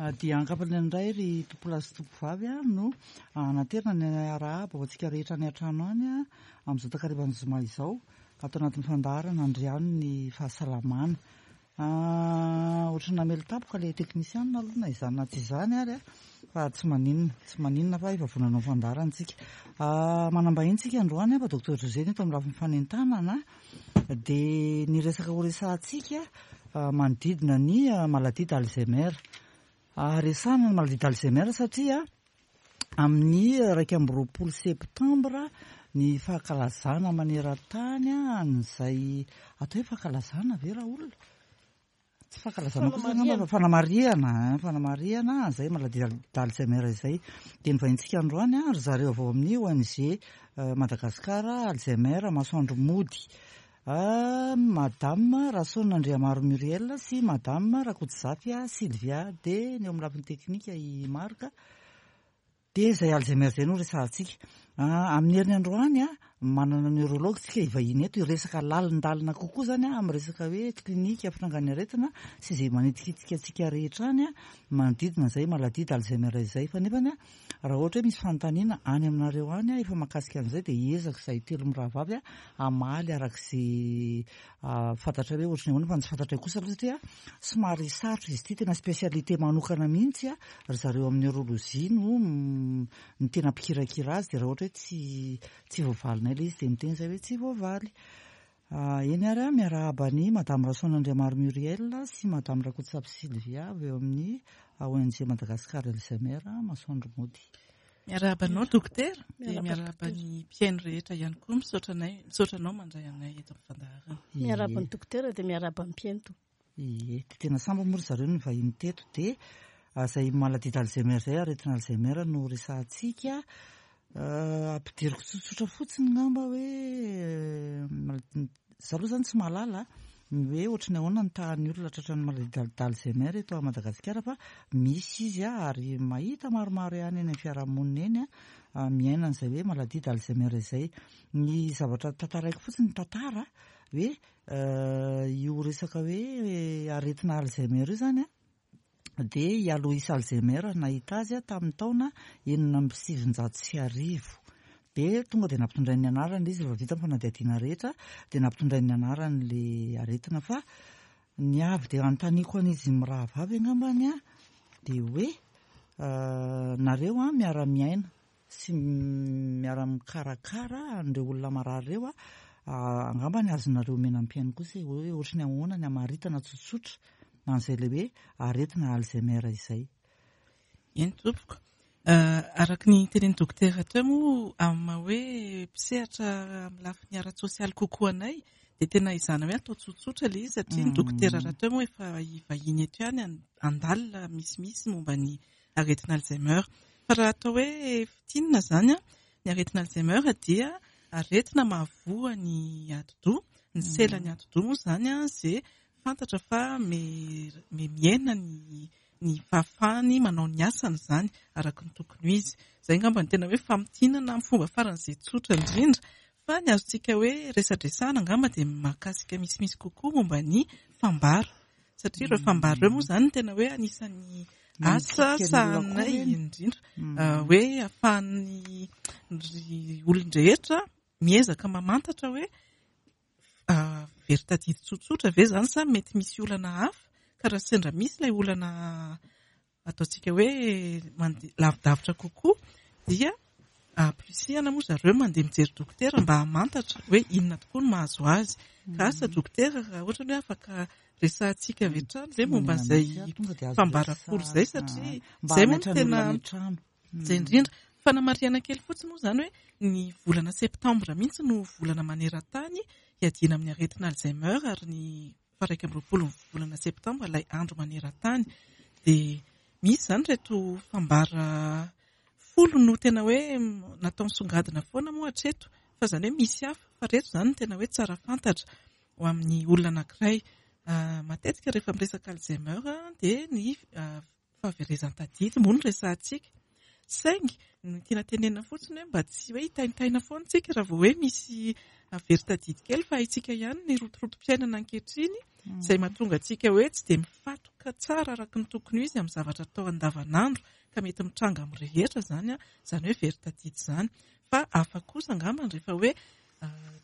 Dia ankapobeny indray ry tompolahy sy tompovavy no anaterana ny arahaba ho antsika rehetra any an-trano any amin'izao takarivan'ny zoma izao ato anatin'ny fandaharana Andriano ny fahasalamana. Ohatran'ny namely tampoka ilay teknisianina aloha na izany na tsy izany ary fa tsy maninona, tsy maninona fa efa vonona hanao fandaharana isika. Manam-bahiny isika androany fa Docteur José no eto amin'ny lafiny fanentanana dia ny resaka horesahantsika manodidina ny maladie d'Alzheimer. Resahana ny maladie d'Alzheimer satria amin'ny 21 septambra ny fankalazana maneran-tany an'izay atao hoe fankalazana ve raha olona? Tsy fankalazana kosa angamba fa fanamarihana, fanamarihana an'izay maladie d'Alzheimer izay. Dia ny vahintsika androany ry zareo avy ao amin'ny ONG Madagascar Alzheimer Masoandro Mody. Madame Rason Andriamaro Muriel sy Madame Rakotozafy Sylvia dia ny eo amin'ny lafiny teknika i Marc. Dia izay Alzheimer izay no resahantsika. Amin'ny heriny androany, manana neurologue tsika hivahiny eto hiresaka lalindalina kokoa izany amin'ny resaka hoe klinika fitrangan'ny aretina sy izay manitikitika antsika rehetra any manodidina izay maladie d'Alzheimer izay. Fa nefany Raha ohatra hoe misy fanontaniana any aminareo any efa mahakasika an'izay dia hiezaka izahay telo mirahavavy hamaly araka izay fantatray hoe ohatry ny ahoana fa ny tsy fantatray kosa aloha satria somary sarotra izy ity, tena spécialité manokana mihitsy ry zareo amin'ny neurologie no no tena mpikirakira azy dia raha ohatra hoe tsy tsy voavalinay ilay izy dia miteny izahay hoe tsy voavaly. Eny ary aho miarahaba an'i Madame Rasoanandriamaro Muriel sy Madame Rakotosafy Sylvia avy eo amin'ny ONG Madagascar Alzheimer Masoandro Mody. Miarahaba anao Dokotera dia miarahaba ny mpihaino rehetra ihany koa misaotra anay misaotra anao mandray anay eto amin'ny fandaharana. Miarahaba ny Dokotera dia miarahaba ny mpihaino tompoko. Ie, dia tena sambany moa ry zareo no nivahiny teto dia izay maladie d'Alzheimer izay, aretina Alzheimer no resahantsika. Ampidiriko tsotsotra fotsiny ngamba hoe za aloha zany tsy mahalala ny hoe ohatry ny ahoana ny tahan'ny olona tratran'ny maladie d'Alzheimer eto Madagasikara fa misy izy ary mahita maromaro ihany eny amin'ny fiarahamonina eny miaina an'izay hoe maladie d'Alzheimer izay. Ny zavatra tantaraiko fotsiny ny tantara hoe Io resaka hoe aretina Alzheimer io izany dia i Alois Alzheimer nahita azy tamin'ny taona 1906. Dia tonga dia nampitondrainy ny anarany ilay izy rehefa vita ny fanadihadiana rehetra dia nampitondrainy ny anarany ilay aretina fa ny avy dia anontaniako an'izy mirahavavy angambany dia hoe nareo miara-miaina sy miara-mikarakara an'ireo olona marary ireo, angamba ny azonareo omena ampiany kosa e, hoe ohatry ny ahoana ny hamaritana tsotsotra an'izay ilay hoe aretina Alzheimer izay. Eny tompoko. Araka ny tenin'ny dokotera teo moa, amin'ny maha hoe mpisehatra amin'ny lafiny ara-tsosialy kokoa anay dia tena ezahana hoe atao tsotsotra ilay izy satria ny dokotera rahateo moa efa hivahiny eto ihany handalina misimisy momba ny aretina Alzheimer. Fa raha atao hoe fintinina izany, ny aretina Alzheimer dia aretina mahavoa ny atidoha, ny selan'ny atidoha moa izany izay fantatra fa mihena ny ny fahafahany manao ny asany izany araka ny tokony ho izy. Izay angamba no tena hoe famintinana amin'ny fomba faran'izay tsotra indrindra. Fa ny azontsika hoe resadresahana angamba dia mahakasika misimisy kokoa momba ny fambara. Satria ireo fambara ireo moa izany no tena hoe anisan'ny asa sahaninay indrindra. Hoe ahafahan'ny olon-drehetra miezaka mamantatra hoe very tadidy tsotsotra ve izany sa mety misy olana hafa ka raha sendra misy ilay olana ataontsika hoe mandeha lavidavitra kokoa dia ampirisihana moa zareo mandeha mijery dokotera mba hamantatra hoe inona tokoa no mahazo azy. Ka asa dokotera raha ohatra hoe afaka resahantsika avy hatrany ve momba an'izay fambara folo izay satria izay moa no tena izay indrindra. Fanamarihana kely fotsiny moa izany hoe ny volana septambra mihitsy no volana maneran-tany hiadiana amin'ny aretina Alzheimer ary ny faha 21 ny volana septambra ilay andro maneran-tany. Dia misy izany ireto fambara folo no tena hoe natao nisongadina foana moa hatreto fa izany hoe misy hafa fa ireto izany no tena hoe tsara fantatra ho amin'ny olona anankiray. Matetika rehefa miresaka Alzheimer dia ny fahaverezan-tadidy moa no resahantsika. Saingy Ny tiana tenenina fotsiny hoe mba tsy hoe hitaintaina foana isika raha vao hoe misy very tadidy kely fa haintsika ihany ny rotorotom-piainana ankehitriny izay mahatonga antsika hoe tsy dia mifatoka tsara araka ny tokony ho izy amin'ny zavatra atao andavanandro ka mety mitranga amin'ny rehetra izany, izany hoe very tadidy izany. Fa hafa kosa angamba rehefa hoe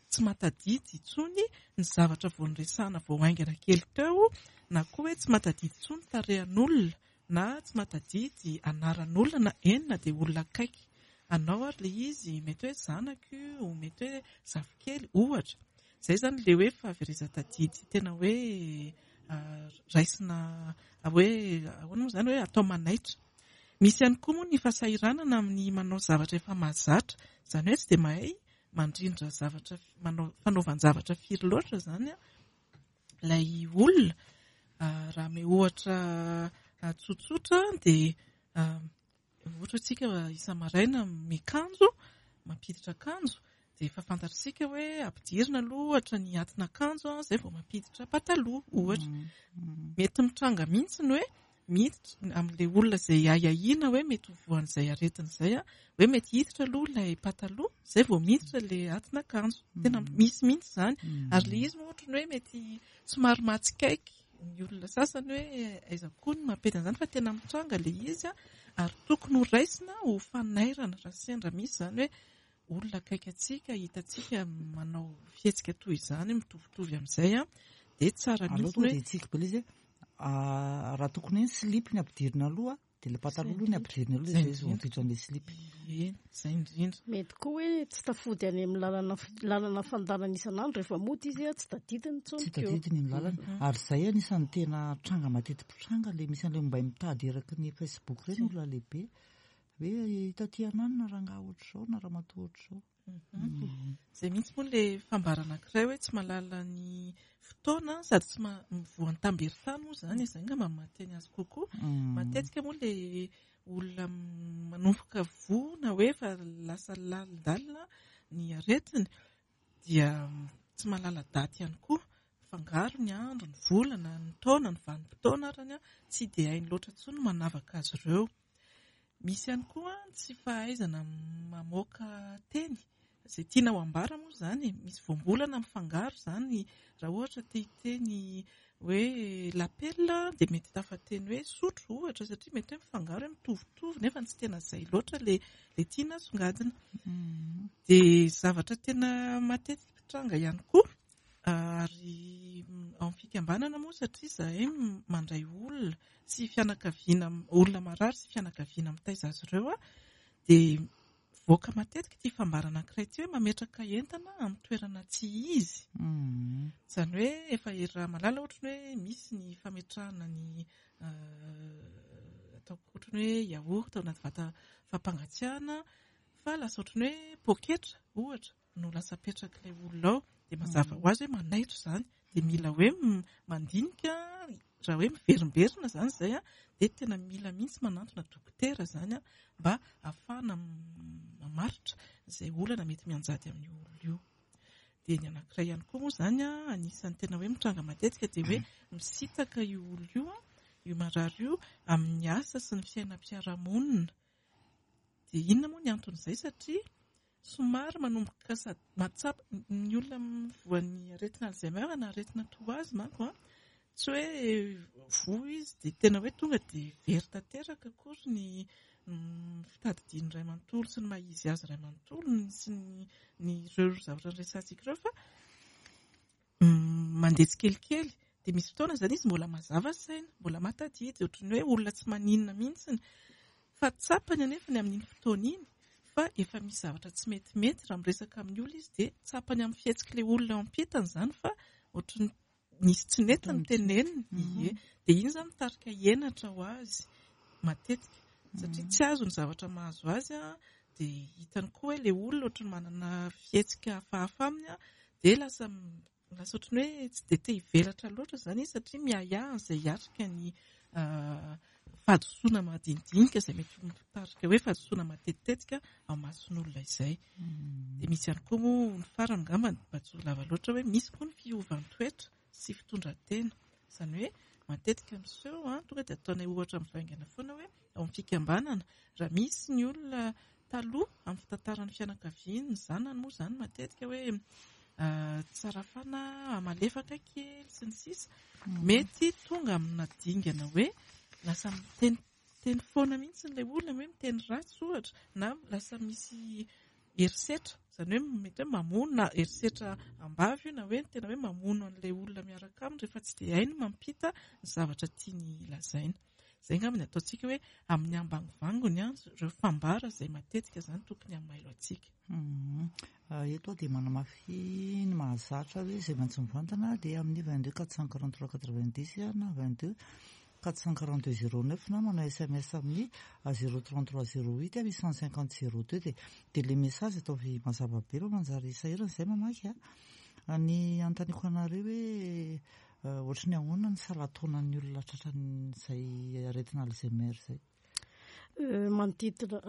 tsy mahatadidy intsony ny zavatra vao noresahana vao haingana kely teo na koa hoe tsy mahatadidy intsony tarehan'olona na tsy mahatadidy anaran'olona na eny na dia olona akaiky anao ary ilay izy, mety hoe zanako io, mety hoe zafikely ohatra. Izay izany ilay hoe fahaverezan-tadidy tena hoe raisina hoe ahoana moa izany hoe atao manaitra. Misy ihany koa moa ny fahasahiranana amin'ny manao zavatra efa mahazatra, izany hoe tsy dia mahay mandrindra zavatra, manao fanaovan-javatra firy loatra izany ilay olona. Raha ame ohatra tsotsotra dia ohatra isika isa-maraina miakanjo, mampiditra akanjo dia efa fantatr'isika hoe ampidirina aloha ohatra ny atin'akanjo izay vao mampiditra pataloha ohatra. Mety mitranga mihitsy ny hoe miditra amin'ilay olona izay ahiahiana hoe mety ho voan'izay aretina izay, hoe mety hiditra aloha ilay pataloha izay vao miditra ilay atin'akanjo. Tena misy mihitsy izany. Ary ilay izy moa ohatran'ny hoe mety somary mahatsikaiky ny olona sasany hoe aiza koa no mampety an'izany fa tena mitranga ilay izy ary tokony ho raisina ho fanairana raha sendra misy izany hoe olona akaiky antsika hitantsika manao fihetsika toy izany mitovitovy amin'izay dia tsara mihitsy hoe Aleo tonga dia hitsiky be ilay izy hoe raha tokony hoe ny slip ny ampidirina aloha dia ilay pataloha aloha ny ampidirina aloha izay izy vao mampiditra an'ilay slip. Eny, izay indrindra. Mety koa hoe tsy tafody any amin'ny lalana lalana fandanana isan'andro rehefa mody izy tsy tadidiny intsony Tsy tadidiny ny lalana. Ary izay anisan'ny tena tranga mateti-pitranga ilay misy an'ilay ombay mitady eraky ny Facebook ireny olona lehibe. Hoe hita aty ananona rangahy ohatr'izao na ramatoa ohatr'izao. Izay mihitsy moa ilay fambara anankiray hoe tsy mahalala ny fotoana sady tsy voan'ny tamberin-tany moa izany, izay angamba no mahateny azy kokoa. Matetika moa ilay olona manomboka voa na hoe efa lasa lalindalina ny aretiny dia tsy mahalala daty ihany koa. Mifangaro ny andro, ny volana, ny taona, ny vanim-potoana arany, tsy dia hainy loatra intsony ny manavaka azy ireo. Misy ihany koa ny tsy fahaizana mamoaka teny, izay tiana ho ambara moa izany e, misy voambolana mifangaro izany, raha ohatra te hiteny hoe lapela dia mety tafateny hoe sotro ohatra satria mety hoe mifangaro hoe mitovitovy nefa tsy tena izay loatra ilay tiana asongadina. Dia zavatra tena matetika mpitranga ihany koa ary ao amin'ny fikambanana moa satria izahay mandray olona sy fianakaviana, olona marary sy fianakaviana mitaiza azy ireo dia mivoaka matetika ity fambara anankiray ity hoe mametraka entana amin'ny toerana tsy izy. Izany hoe efa iaraha-mahalala ohatry ny hoe misy ny fametrahana ny ataoko ohatry ny hoe yaourt ao anaty vata fampangatsiahana fa lasa ohatry ny hoe poketra ohatra. no lasa apetrak'ilay olona ao dia mazava ho azy hoe manaitra izany dia mila hoe mandinika raha hoe miverimberina izany izay dia tena mila mihitsy manantona dokotera izany mba ahafahana mamaritra izay olana mety mianjady amin'io olona io. Dia ny anankiray ihany koa moa izany anisan'ny tena hoe mitranga matetika dia hoe misitaka io olona io, io marary io amin'ny asa sy ny fiainam-piarahamonina. Dia inona moa ny anton'izay satria somary manomboka sady mahatsapa ny olona voan'ny aretina Alzheimer na aretina toa azy manko an, tsy hoe voa izy dia tena hoe tonga dia very tanteraka akory ny fitadidiany iray manontolo sy ny maha izy azy iray manontolo sy ny ireo zavatra noresahantsika ireo fa mandeha tsikelikely dia misy fotoana izany izy mbola mazava saina, mbola mahatadidy, ohatran'ny hoe olona tsy maninona mihitsy fa tsapany anefa ny amin'iny fotoana iny fa efa misy zavatra tsy metimety raha miresaka amin'ny olona izy dia tsapany amin'ny fihetsik'ilay olona eo ampitany izany fa ohatran'ny nisy tsy nety ny teneniny, ie, dia iny izany mitarika henatra ho azy matetika satria tsy azo ny zavatra mahazo azy dia hitany koa hoe ilay olona ohatran'ny manana fihetsika hafahafa aminy dia lasa lasa ohatran'ny hoe tsy dia te hivelatra loatra izany izy satria miahiahy an'izay hiatrika ny fahadisoana madinidinika izay mety mitarika hoe fahadisoana matetitetika ao mason'olona izay. Dia misy ihany koa moa ny farany angamba mba tsy ho lava loatra hoe misy koa ny fiovan-toetra sy fitondran-tena. Izany hoe matetika miseho, tonga dia ataonay ohatra mivaingana foana hoe ao amin'ny fikambanana raha misy ny olona taloha amin'ny fitantaran'ny fianakaviany, ny zanany moa izany matetika hoe tsara fanahy, malefaka kely sy ny sisa. Mety tonga amina dingana hoe lasa miteniteny foana mihitsy ilay olona, hoe miteny ratsy ohatra, na lasa misy herisetra, izany hoe mety hoe mamono na herisetra am-bava io na hoe tena hoe mamono an'ilay olona miaraka aminy rehefa tsy dia hainy mampita ny zavatra tiany lazaina. Izay angamba ny ataontsika hoe amin'ny ambangovangony ireo fambara izay matetika izany tokony hamailo antsika. Eto aho dia manamafy ny mahazatra hoe izay miantso mivantana dia amin'ny 22 443 90 na 22 442 09 na manao sms amin'ny 033 08 850 02 dia dia ilay message ataovy mazava be fa manjary sahirana izay mamaky a. Ny anontaniako anareo hoe ohatry ny ahoana ny salan-taonan'ny olona tratran'izay aretina Alzheimer izay? Manodidina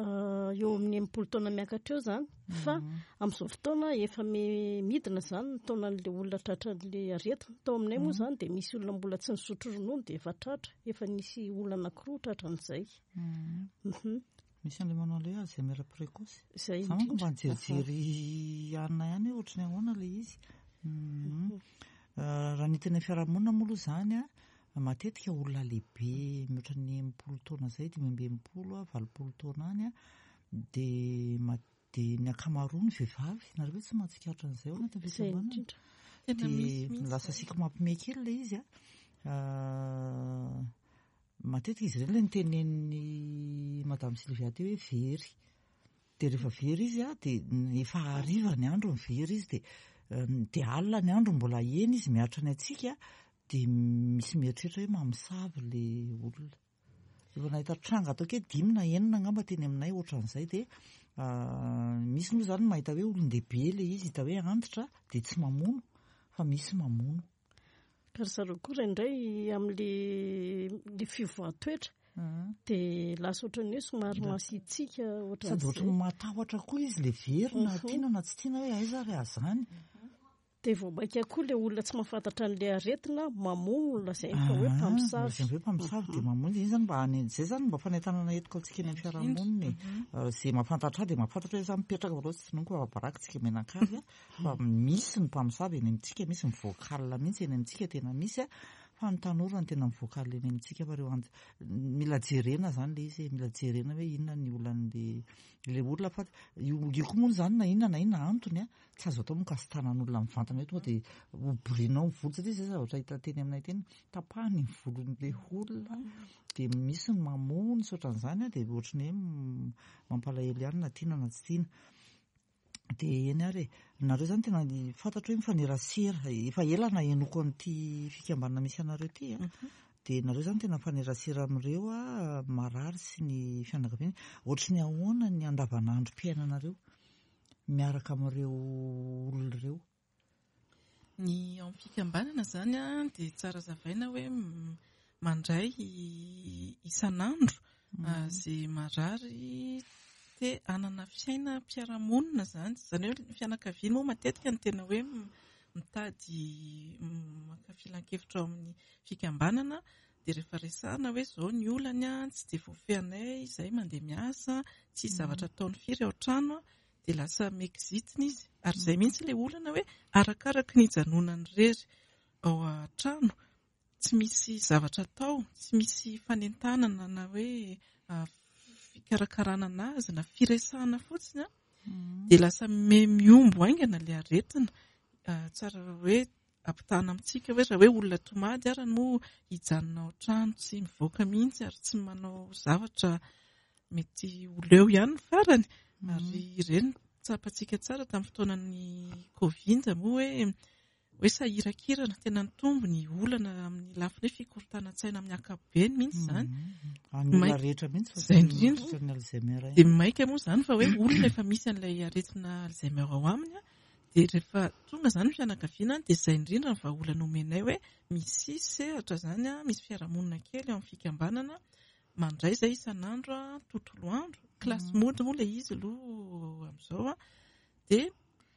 eo amin'ny 60 taona miakatra eo izany, fa amin'izao fotoana efa midina izany ny taonan'ilay olona tratran'ilay aretina. Tao aminay moa izany dia misy olona mbola tsy nisotro ronono dia efa tratra, efa nisy olona anankiroa tratran'izay. Misy an'ilay manao ilay hoe Alzheimer précoce. Izay Za manko mba indrindra. nijerijery anona ihany hoe ohatry ny ahoana ilay izy. Raha ny tena fiarahamonina moa aloha izany a, matetika olona lehibe mihoatra ny 60 taona izay, 65, 80 taona any a, dia dia ny ankamaroany vehivavy. Nareo ve tsy mahatsikaritra an'izay ao anatin'ny Izay fikambanana? indrindra. Tena misy Dia mihitsy lasa izay. siky mampime kely ilay izy a. Matetika izy ireny ilay nitenenin'i Madame Sylvia teo hoe very. Dia rehefa very izy a, dia efa hariva ny andro ny very izy, dia dia alina ny andro mbola eny izy miaritra ny antsika, dia misy mieritreritra hoe mamosavy ilay olona. Efa nahita tranga ataoko hoe 5 na 6 angamba teny aminay ohatran'izay, dia misy moa izany mahita hoe olon-dehibe ilay izy, hita hoe antitra, dia tsy mamono, fa misy mamono. Ka ry zareo koa indraindray amin'ilay fivoahan-toetra dia lasa ohatran'ny hoe somary masiatsiaka ohatran'izay. Sady ohatran'ny matahotra koa izy ilay very na tiana na tsy tiana hoe aiza ary azany. Dia vao mainka koa ilay olona tsy mahafantatra an'ilay aretina mamono lazainy fa hoe mpamosavy. Lazainy hoe mpamosavy dia mamono. Izay zany mba any, izay zany mba fanentanana entiko antsika eny amin'ny fiarahamonina e. Izay mahafantatra ahy dia mahafantatra hoe za mipetraka fa tsy tononiko fa baraka tsika mianakavy a. Fa misy ny mpamosavy eny amintsika, misy ny vocal mihitsy eny amintsika, tena misy a. Fa ny tanora no tena mivocal eny amintsika fa ireo anti-, mila jerena zany ilay izy e, mila jerena hoe inona ny olan'ilay ilay olona fa io, io koa moa zany na inona na inona antony a, tsy azo atao moa kasi-tanan'olona mivantana hoe tonga dia hoborianao ny volo, satria izay zavatra hita teny aminay teny, tapahany ny volon'ilay olona, dia misy ny mamono sy ohatran'izany a, dia ohatry ny hoe mampalahelo ihany na tiana na tsy tiana. Dia eny ary e, nareo zany tena fantatro hoe mifanerasera, efa ela nahenoako an'ity fikambanana misy anareo ity a. Dia nareo zany tena mifanerasera amin'ireo a, marary sy ny fianakaviany. Ohatry ny ahoana ny andavanandrom-piainanareo miaraka amin'ireo olona ireo? Ny ao amin'ny fikambanana izany a, dia tsara zavaina hoe mandray isan'andro izay marary te hanana fiainam-piarahamonina izany. Izany hoe ny fianakaviana moa matetika no tena hoe mitady maka filan-kevitra ao amin'ny fikambanana, dia rehefa resahana hoe izao ny olany a, tsy dia voafehinay izay mandeha miasa, tsisy zavatra ataony firy ao an-trano, dia lasa mekizitina izy. Ary izay mihitsy ilay olana hoe arakaraky ny hijanonany irery ao an-trano, tsy misy zavatra atao, tsy misy fanentanana na hoe fikarakarana anazy na firesahana fotsiny a, dia lasa mihombo haingana ilay aretina. Tsara hoe ampitahana amintsika hoe raha hoe olona tomady ary moa hijanona ao an-trano tsy mivoaka mihitsy ary tsy manao zavatra mety ho leo ihany ny farany. Ary ireny tsapantsika tsara tamin'ny fotoanan'ny Covid moa hoe sahirakirana, tena nitombo ny olana amin'ny lafiny hoe fikorontanan-tsaina amin'ny ankapobeny mihitsy izany. Any olona rehetra mihitsy fa Izay tsy indrindra. ny Alzheimer ihany. Dia maika moa izany fa hoe olona efa misy an'ilay aretina Alzheimer ao aminy, dia rehefa tonga izany ny fianakaviana dia izay indrindra ny vahaolana omenay hoe misy sehatra izany, misy fiarahamonina kely ao amin'ny fikambanana mandray izay isan'andro, tontolo andro, kilasy mody moa ilay izy aloha amin'izao, dia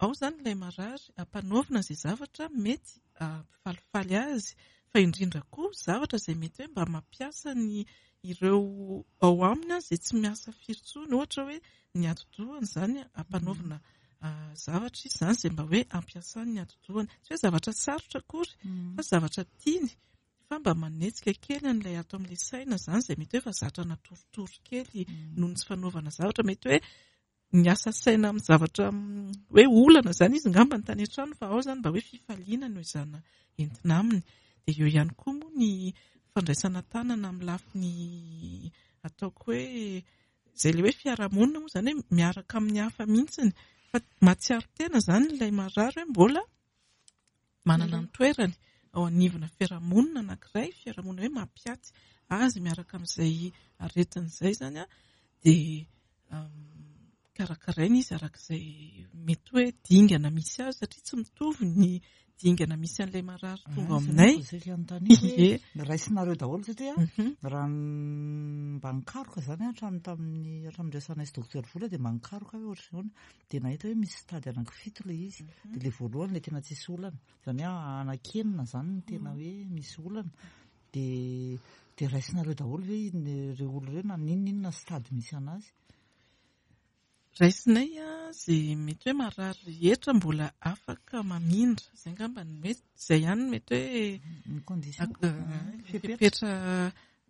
ao izany ilay marary ampanaovina izay zavatra mety hampifalifaly azy. Fa indrindra koa zavatra izay mety hoe mba mampiasa ny ireo ao aminy izay tsy miasa firy intsony, ohatra hoe ny atidohany izany ampanaovina zavatra izy izany izay mba hoe ampiasany ny atidohany. Tsy hoe zavatra sarotra akory fa zavatra tiany fa mba manetsika kely an'ilay ato amin'ilay saina izany izay mety hoe efa zatra natoritory kely noho ny tsy fanaovana zavatra. Mety hoe miasa saina amin'ny zavatra hoe olana izany izy angamba ny tany an-trano fa ao izany mba hoe fifaliana no ezahana entina aminy. Dia eo ihany koa moa ny fandraisana tanana amin'ny lafiny ataoko hoe izay ilay hoe fiarahamonina moa izany hoe miaraka amin'ny hafa mihitsiny fa mahatsiaro tena izany ilay marary hoe mbola manana ny toerany ao anivona fiarahamonina anankiray, fiarahamonina hoe mampiaty azy miaraka amin'izay aretina izay izany an, dia karakaraina izy araka izay mety hoe dingana misy azy satria tsy mitovy ny dingana misy an'ilay marary tonga ao aminay. Ie. Raisinareo daholo satria raha mba nikaroka izany hatramin'ny tamin'ny hatramin'ny niresahanay sy Docteur Vola dia mba nikaroka aho hoe ohatran'ny ahoana. Dia nahita hoe misy stade anankifito ilay izy. Dia ilay voalohany ilay tena tsisy olana. Izany hoe anankenina izany no tena hoe misy olana. Dia dia raisinareo daholo ve ireo olona ireo na n'inon'inona stade misy an'azy? Raisinay izay mety hoe marary rehetra mbola afaka mamindra. Izay angamba no mety, izay ihany no mety hoe Ny condition. Fepetra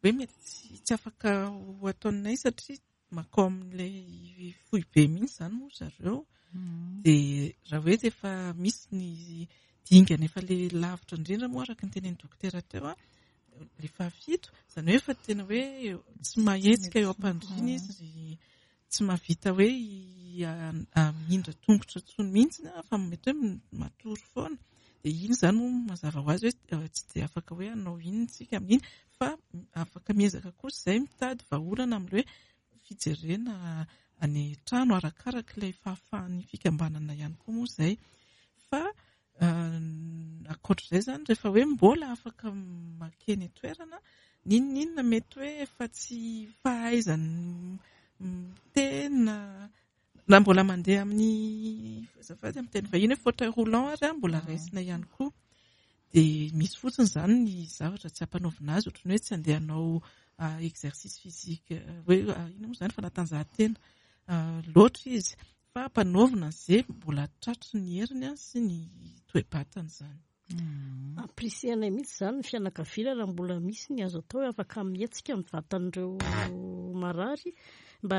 hoe mety tsy afaka ho ataonay satria mankao amin'ilay foibe mihitsy izany moa zareo. Dia raha hoe efa misy ny dingana efa ilay lavitra indrindra moa araka ny tenenin'ny dokotera teo, ilay fahafito, izany hoe efa tena hoe tsy mahetsika eo am-pandriana izy, tsy mahavita hoe hamindra tongotra intsony mihitsy fa mety hoe matory foana. Dia iny izany moa mazava ho azy hoe tsy dia afaka hoe hanao inona isika amin'iny fa afaka miezaka kosa izay mitady vahaolana amin'ilay hoe fijerena any an-trano arakaraka ilay fahafahan'ny fikambanana ihany koa moa izay. Fa ankoatr'izay izany rehefa hoe mbola afaka makeny an-toerana, n'inon'inona mety hoe efa tsy fahaizany miteny na Na mbola mandeha amin'ny, azafady amin'ny teny vahiny hoe fauteuil roulant ary mbola raisina ihany koa. Dia misy fotsiny izany ny zavatra tsy ampanaovina azy, ohatran'ny hoe tsy handeha hanao exercice physique hoe inona moa izany fanatanjahantena loatra izy fa ampanaovina izay mbola tratry ny heriny sy ny toe-batany izany. Ampirisihanay mihitsy izany ny fianakaviana raha mbola misy ny azo atao hoe afaka mihetsika ny vatan'ireo marary mba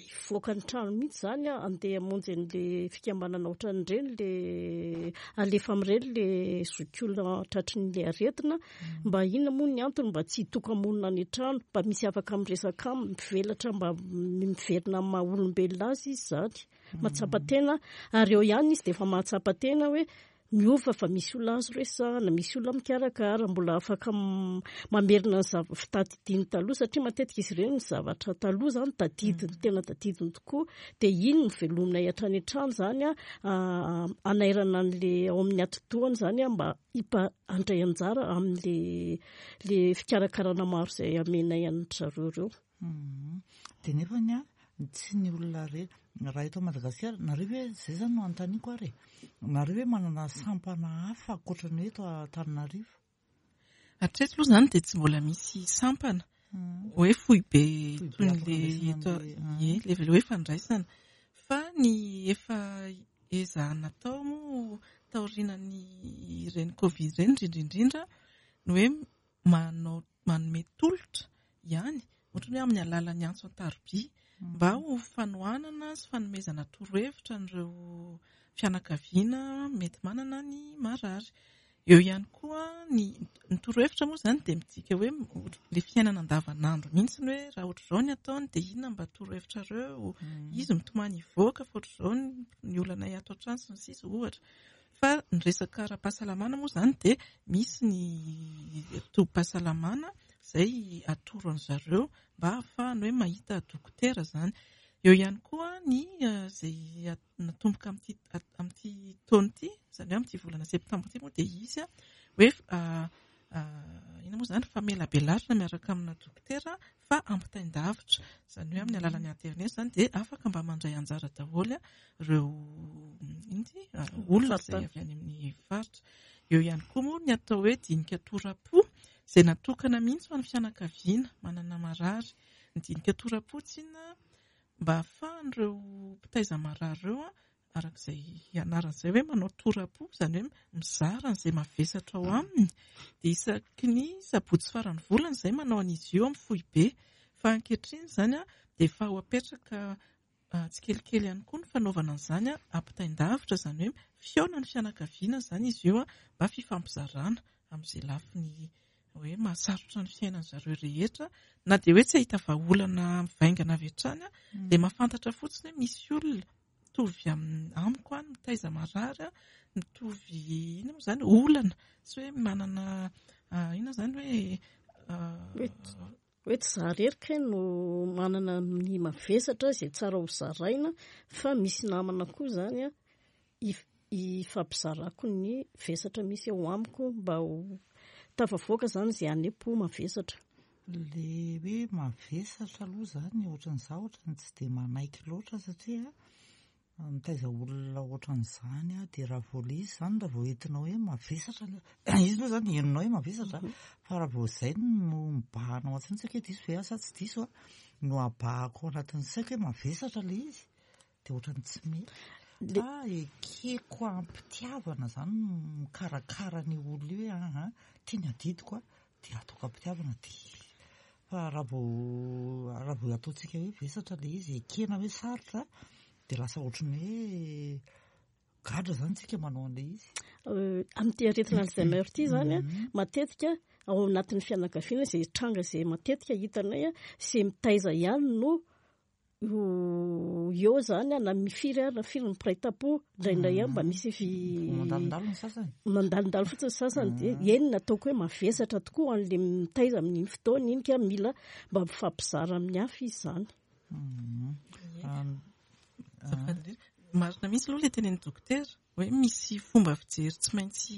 hivoaka ny trano mihitsy izany handeha hamonjy an'ilay fikambanana ohatran'ireny ilay alefa amin'ireny ilay zokiolona tratry ny aretina mba inona moa ny antony mba tsy hitoka-monina any an-trano mba misy afaka miresaka aminy mivelatra mba miverina amin'ny maha olombelona azy izy izany mahatsapa tena ary eo ihany izy dia efa mahatsapa tena hoe Miova fa misy olona azo resahana, misy olona mikarakara, mbola afaka mamerina ny zava fitadidiany taloha satria matetika izy ireny ny zavatra taloha izany tadidiny, tena tadidiny tokoa. Dia iny no velominay hatrany hatrany izany hanairana an'ilay ao amin'ny atidohany izany mba handray anjara amin'ilay ilay fikarakarana maro izay amenay an-dry zareo ireo. Dia nefany an, tsy ny olona rehetra, raha eto Madagasikara, nareo ve, izay izany no anontaniako ary e, nareo ve manana sampana hafa ankoatra ny eto Antananarivo? Hatreto aloha izany dia tsy mbola misy sampana hoe foibe toy ny le eto, ie, le hoe fandraisana. Fa ny efa ezahana atao moa taorianan'ny ireny Covid ireny indrindra indrindra ny hoe manao manome tolotra ihany, ohatra hoe amin'ny alalan'ny antso an-tarobia, mba ho fanohanana sy fanomezana torohevitra an'ireo fianakaviana mety manana ny marary. Eo ihany koa ny ny torohevitra moa izany dia midika hoe ilay fiainana andavanandro mihitsy hoe raha ohatr'izao ny ataony dia inona mba torohevitrareo, izy mitomany hivoaka fa ohatr'izao ny olanay ato an-trano sy ny sisa ohatra. Fa ny resaka ara-pahasalamana moa izany dia misy ny tobim-pahasalamana izay atoro an-dry zareo mba hahafahany hoe mahita dokotera izany. Eo ihany koa ny izay natomboka amin'ity amin'ity taona ity, izany hoe amin'ity volana septambra ity moa dia hisy hoe inona moa izany famelabelarana miaraka amina dokotera fa ampitain-davitra, izany hoe amin'ny alalan'ny aterineto izany dia afaka mba mandray anjara daholo ireo inona ity olona izay avy any amin'ny faritra. Eo ihany koa moa ny atao hoe dinika tora-po izay natokana mihitsy ho an'ny fianakaviana manana marary. Ny dinika tora-po tsinona mba ahafahan'ireo mpitaiza marary ireo araka izay ianarana izay hoe manao tora-po, izany hoe mizara an'izay mavesatra ao aminy, dia isaky ny sabotsy faran'ny volana izay manao an'izy io amin'ny foibe. Fa ankehitriny izany dia efa ho apetraka tsikelikely ihany koa ny fanaovana an'izany ampitain-davitra, izany hoe fihaonan'ny fianakaviana izany izy io mba fifampizarana amin'izay lafiny hoe mahasarotra ny fiainan-dry zareo rehetra, na dia hoe tsy hahita vahaolana mivaingana avy hatrany dia mahafantatra fotsiny hoe misy olona mitovy amiko any, mitaiza marary, mitovy inona moa izany, olana, tsy hoe manana inona izany hoe Hoe tsy za irery kay no manana ny mavesatra izay tsara ho zaraina fa misy namana koa izany an, ifampizarako ny vesatra misy eo amiko mba ho tafavoaka izany izay any-po mavesatra. Le hoe mavesatra aloha izany ohatran'izaho ohatran'ny tsy dia manaiky loatra satria Mitaiza olona ohatran'izany aho dia raha vao ilay izy izany raha vao entinao hoe mavesatra ilay izy aloha izany henonao hoe mavesatra fa raha vao izay no mibahana ao an-tsaina tsy haiko hoe diso ve aho sa tsy diso no abahako ao anatin'ny saiko hoe mavesatra ilay izy dia ohatran'ny tsy mety fa ekeko am-pitiavana izany mikarakara an'io olona io hoe aha ity ny adidiko a dia ataoko am-pitiavana dia fa raha vao raha vao ataontsika hoe vesatra ilay izy ekena hoe sarotra dia lasa ohatran'ny hoe gadra izany tsika manao an'ilay izy. Amin'ity aretina Alzheimer ity izany an, matetika ao anatin'ny fianakaviana izay tranga izay matetika hitanay an, izay mitaiza ihany no eo izany na firy ary na firy ny mpiray tampo, indraindray ihany mba misy fi Mandalondalo ny sasany. Mandalondalo fotsiny ny sasany dia eny no ataoko hoe mavesatra tokoa ho an'ilay mitaiza amin'iny fotoana iny ka mila mba mifampizara amin'ny hafa izy izany. Marina mihitsy aloha ilay tenenin'ny dokotera hoe misy fomba fijery tsy maintsy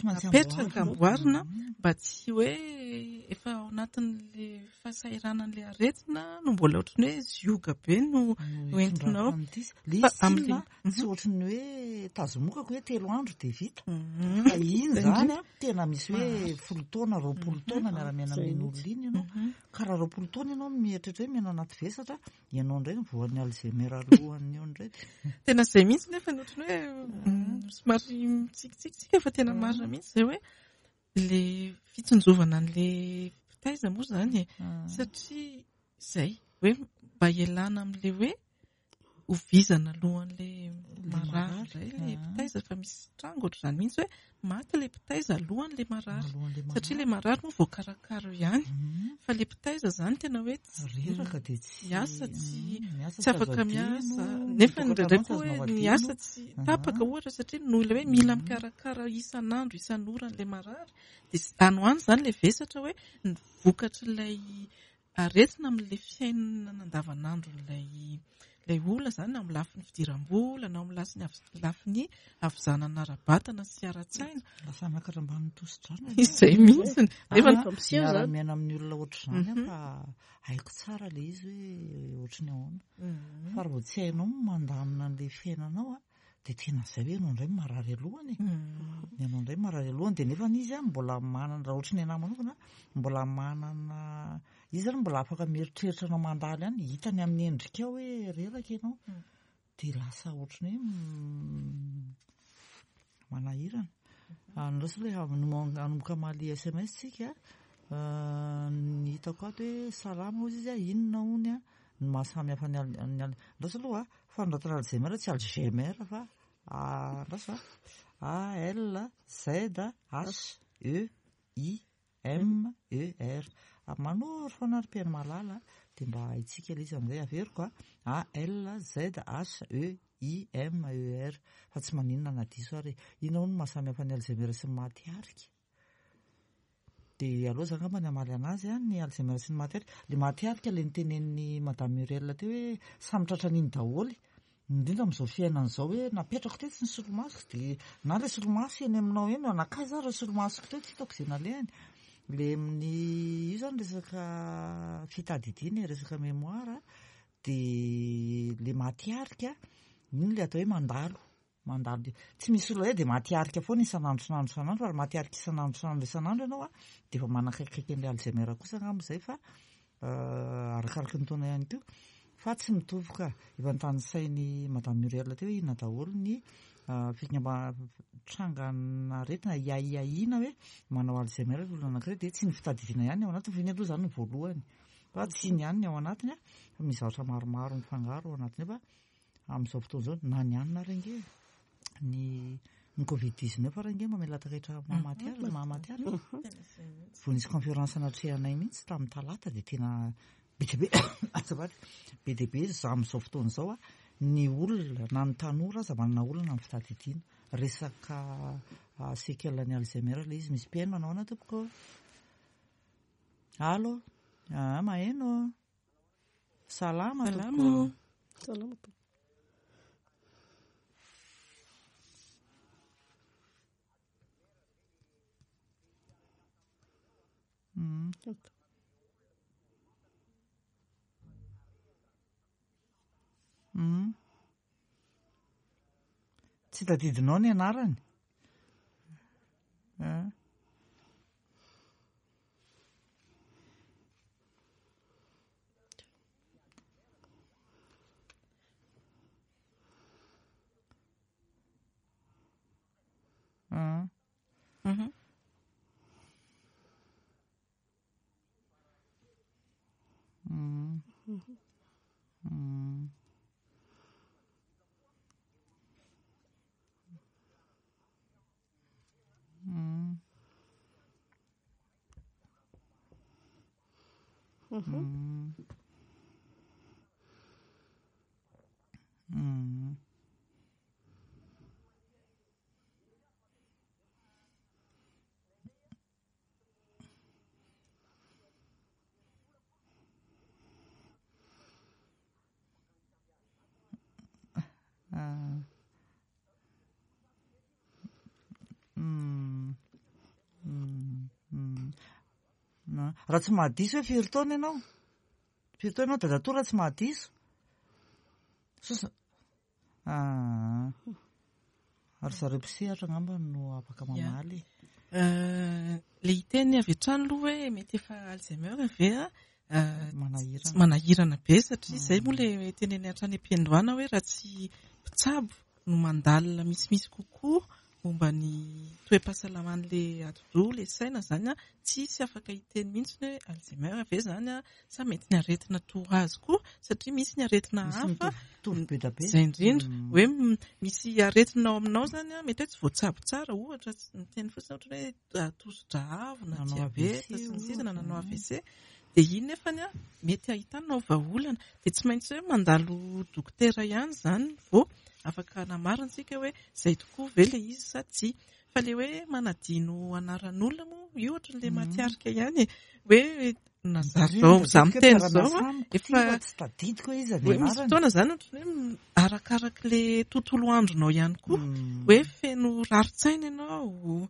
apetraka, amboarina mba tsy hoe efa ao anatin'ilay fahasahiranan'ilay aretina no mbola ohatran'ny hoe zioga be no entinao. Ilay izy tsinona tsy ohatran'ny hoe tazomokako hoe 3 andro dia vita. Fa iny izany an, tena misy hoe 10 taona, 20 taona miara-miaina amin'iny olona iny ianao. Ka raha 20 taona ianao mieritreritra hoe miaina anaty vesatra, ianao indray no voan'ny Alzheimer alohan'ny eo indray. Tena izay mihitsy nefa ny ohatran'ny hoe somary mitsikitsiky tsika fa tena marina mihitsy izay hoe ilay fitsinjovana an'ilay mpitaiza moa izany e. Satria izay hoe mba hialana amin'ilay hoe ho vizana alohan'ilay marary indray ilay mpitaiza fa misy tranga ohatr'izany mihitsy hoe maty ilay mpitaiza alohan'ilay marary satria ilay marary moa voakarakara eo ihany fa ilay mpitaiza izany tena hoe tsy reraka dia tsy miasa tsy tsy afaka miasa nefa indraindray koa hoe ny asa tsy tapaka ohatra satria noho ilay hoe mila mikarakara isan'andro isan'ora an'ilay marary dia any ho any izany ilay vesatra hoe ny vokatr'ilay aretina amin'ilay fiainana andavanandron'ilay ilay olona izany na amin'ny lafiny fidiram-bola na amin'ny lafiny lafiny havizanana ara-batana sy ara-tsaina. Lasa miakatra ambanin'ny tosi-drano. Izay mihitsy. Nefa miseho izany. Miara-miaina amin'ny olona ohatr'izany aho fa haiko tsara ilay izy hoe ohatry ny ahoana. Fa raha vao tsy hainao ny mandamina an'ilay fiainanao dia tena izay hoe ianao indray marary alohany e. Ianao indray marary alohany dia nefa izy mbola manana, raha ohatry ny anahy manokana, mbola manana, izy zany mbola afaka mieritreritra anao mandalo ihany, hitany amin'ny endrikao hoe reraka ianao. Dia lasa ohatry ny hoe manahirana. Andraso aloha hanomboka hamaly SMS tsika. Ny hitako ato hoe salama hozy izy, inona hono ny maha samy hafa ny andraso aloha fanoratana Alzheimer tsy Alzheimer fa andraso A L Z H E I M E R manoro foana ary mpihaino malala dia mba haintsika ilay izy amin'izay averiko a A L Z H E I M E R fa tsy maninona na diso ary e inona hono no maha samy hafa ny Alzheimer sy ny maty arika? Dia aleo za angamba ny hamaly anazy an, ny Alzheimer sy ny maty arika. Ilay maty arika ilay notenenin'i Madame Muriel teo hoe samy tratran'iny daholo. Indrindra amin'izao fiainana izao hoe napetrako tetsy ny solomasoko dia na ilay solomaso eny aminao eny, nankaiza ary ireo solomasoko teo tsy hitako izay nalehany. Ilay amin'ny, io izany resaka fitadidiana e, resaka mémoire, dia ilay maty arika, iny ilay atao hoe mandalo. Mandalo tsy misy olona hoe dia maty arika foana isan'andro isan'andro isan'andro fa raha maty arika isan'andro isan'andro isan'andro ianao a dia efa manakaikikaiky an'ilay Alzheimer kosa angamba izay fa arakaraky ny taona ihany koa fa tsy mitovy ka. Efa notanisain'i Madame Muriel teo hoe inona daholo ny fikamba trangan'aretina iahiahiana hoe manao Alzheimer ny olona anankiray dia tsy ny fitadidiana ihany ny ao anatiny fa iny aloha izany no voalohany fa tsy iny ihany ny ao anatiny fa misy zavatra maromaro mifangaro ao anatiny ao fa Amin'izao fotoana izao, na ny hanina ary ange, ny ny covid 19 ary ange mamela takaitra mahamaty azy, mahamaty azy. Vao nisy conférence natrehanay mihitsy tamin'ny talata dia tena be dia be, azafady, be dia be za amin'izao fotoana izao a, ny olona na ny tanora aza manana olana amin'ny fitadidiana. Resaka séquelle ny Alzheimer ilay izy, misy mpihaino manao ahoana tompoko? Allo, ah, maheno. Salama tompoko. Salama tompoko. Tsy tadidinao ny anarany? Ah. Ah. Mhm. Mm. Mm. Mm. Mm. Mm. Ah. Mm. Mm. Mm. Na. Raha tsy mahadiso hoe firy taona ianao? Firy taona ianao dadatoa raha tsy mahadiso? Sosa. Ah. Ary zareo mpisehatra angamba no afaka mamaly. Le hiteny avy hatrany aloha hoe mety efa Alzheimer ve a? Manahirana. Manahirana be satria izay moa le teneniny hatrany am-piandohana hoe raha tsy mpitsabo no mandalina misimisy kokoa momba ny toe-pahasalaman'ilay atidoha, ilay saina izany an, tsisy afaka hiteny mihitsy hoe Alzheimer ve izany an, sa mety ny aretina toa azy koa, satria misy ny aretina Misy hafa, mitovitovy be dia be. Izay indrindra, hoe misy aretina ao aminao izany an, mety hoe tsy voatsabo tsara, ohatra, miteny fotsiny ohatra hoe tosi-drà avo na Nanao diabeta AVC sy ny sisa na nanao ohatra. AVC, dia iny nefany an, mety ahitanao vahaolana. Dia tsy maintsy hoe mandalo dokotera ihany izany vao afaka hanamarina isika hoe izay tokoa ve ilay izy sa tsia. Fa ilay hoe manadino anaran'olona moa, io ohatran'ilay matiarika ihany e. Hoe na za zao, za miteny izao an, efa tsy tadidiko hoe iza ny hoe misy anarany. fotoana izany ohatran'ny hoe arakarak'ilay tontolo andronao ihany koa, hoe feno rarin-tsaina ianao,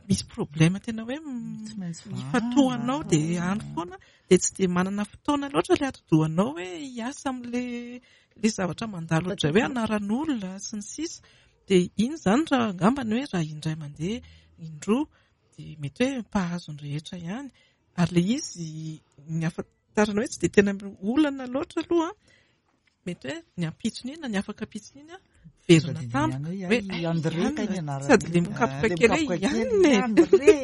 misy problème tena hoe Tsy maintsy vahana. ifantohanao dia any foana, dia tsy dia manana fotoana loatra ilay atidohanao hoe hiasa amin'ilay ilay zavatra mandalo ohatran'izay hoe anaran'olona sy ny sisa. Dia iny izany raha angambany hoe raha indray mandeha indroa dia mety hoe mpahazo ny rehetra ihany. Ary ilay izy ny ahafantarana hoe tsy dia tena olana loatra aloha, mety hoe ny ampitsony iny na ny afaka ampitsony iny verina tampoka hoe i André kay ny anarany. Sady le mikapoka kely hoe i Anne e. André.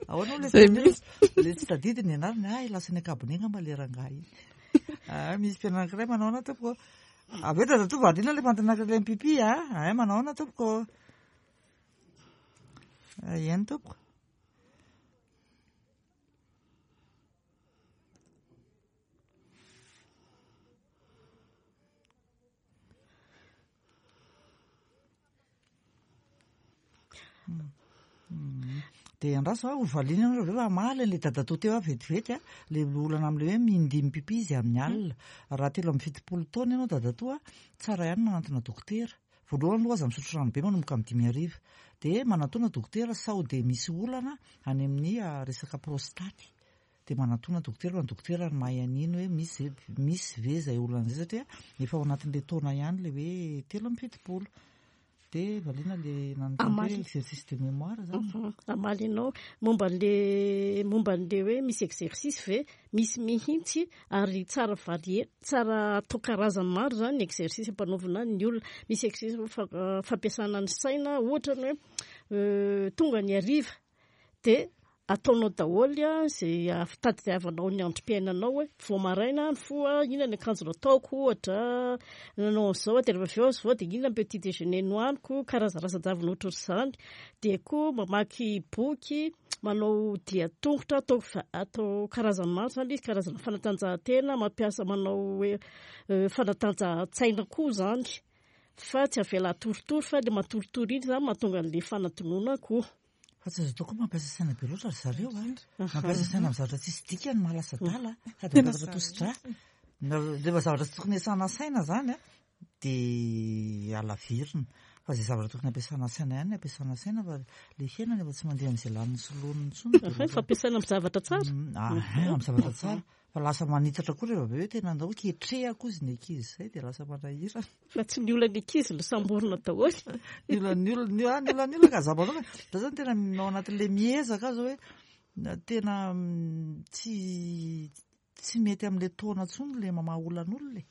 Ahoana le Izay mihitsy. Le tsy tadidy ny anarany, ah lasa ny ankabone angamba le rangahy iny. Ah, misy mpianatra anankiray manao ahoana tompoko? Avy eo dadatoa variana le mpantanaka ilay mipipi ah. Ay manao ahoana tompoko? Eny tompoko. Dia andraso aho hovaliana ianareo avy eo fa hamaly an'ilay dadatoa teo aho vetivety a, ilay olana amin'ilay hoe mindimy pipi izy amin'ny alina. Raha 73 taona ianao dadatoa, tsara ihany manantona dokotera. Voalohany aloha aza misotro rano be manomboka amin'ny 5 hariva. Dia manantona dokotera sao dia misy olana any amin'ny resaka prostaty. Dia manantona dokotera fa ny dokotera no mahay an'iny hoe misy misy ve izay olana izay satria efa ao anatin'ilay taona ihany ilay hoe 73. Dia valiana le nanontany hoe exercice de mémoire zany. Hamaly anao momba an'le momba an'le hoe misy exercice ve? Misy mihitsy ary tsara varier, tsara atao karazany maro zany ny exercice ampanaovina ny olona. Misy exercice fampiasana ny saina, ohatra ny hoe tonga ny hariva dia ataonao daholo izay fitadiavanao ny androm-piainanao hoe vao maraina nifoha inona ny akanjo nataoko ohatra, nanao an'izao aho dia rehefa avy eo aho dia inona ny petit déjeuner nohaniko, karazan-javatra ohatr'izany. Dia koa mamaky boky, manao dia an-tongotra, atao atao karazany maro izany ilay izy, karazana fanatanjahantena, mampiasa manao hoe fanatanjahan-tsaina koa izany fa tsy avela hatoritory fa ilay matoritory iny izany mahatonga an'ilay fanadinoana koa. Fa tsy azo atao koa mampiasa saina be loatra ry zareo a. Mampiasa saina amin'ny zavatra tsisy dikany mahalasa adala sady mampiakatra tosi-drà. Rehefa zavatra tsy tokony hiasana saina izany a, dia alavirina. Fa izay zavatra tokony hampiasana saina ihany no ampiasana saina fa ilay fiainana efa tsy mandeha amin'izay laniny sy loniny intsony. Fa fampiasana amin'ny zavatra tsara. Amin'ny zavatra tsara. Fa lasa manitatra koa rehefa avy eo hoe tena andao ketrehako ozy ny ankizy izay dia lasa manahirana. Fa tsy ny olan'ny ankizy no samborina daholo. Ny olan'ny olona, ny ah, ny olan'ny olona ka za manokana. Za zany tena ao anatin'ilay miezaka aho zao hoe tena tsy tsy mety amin'ilay taona intsony ilay mamaha olan'olona e.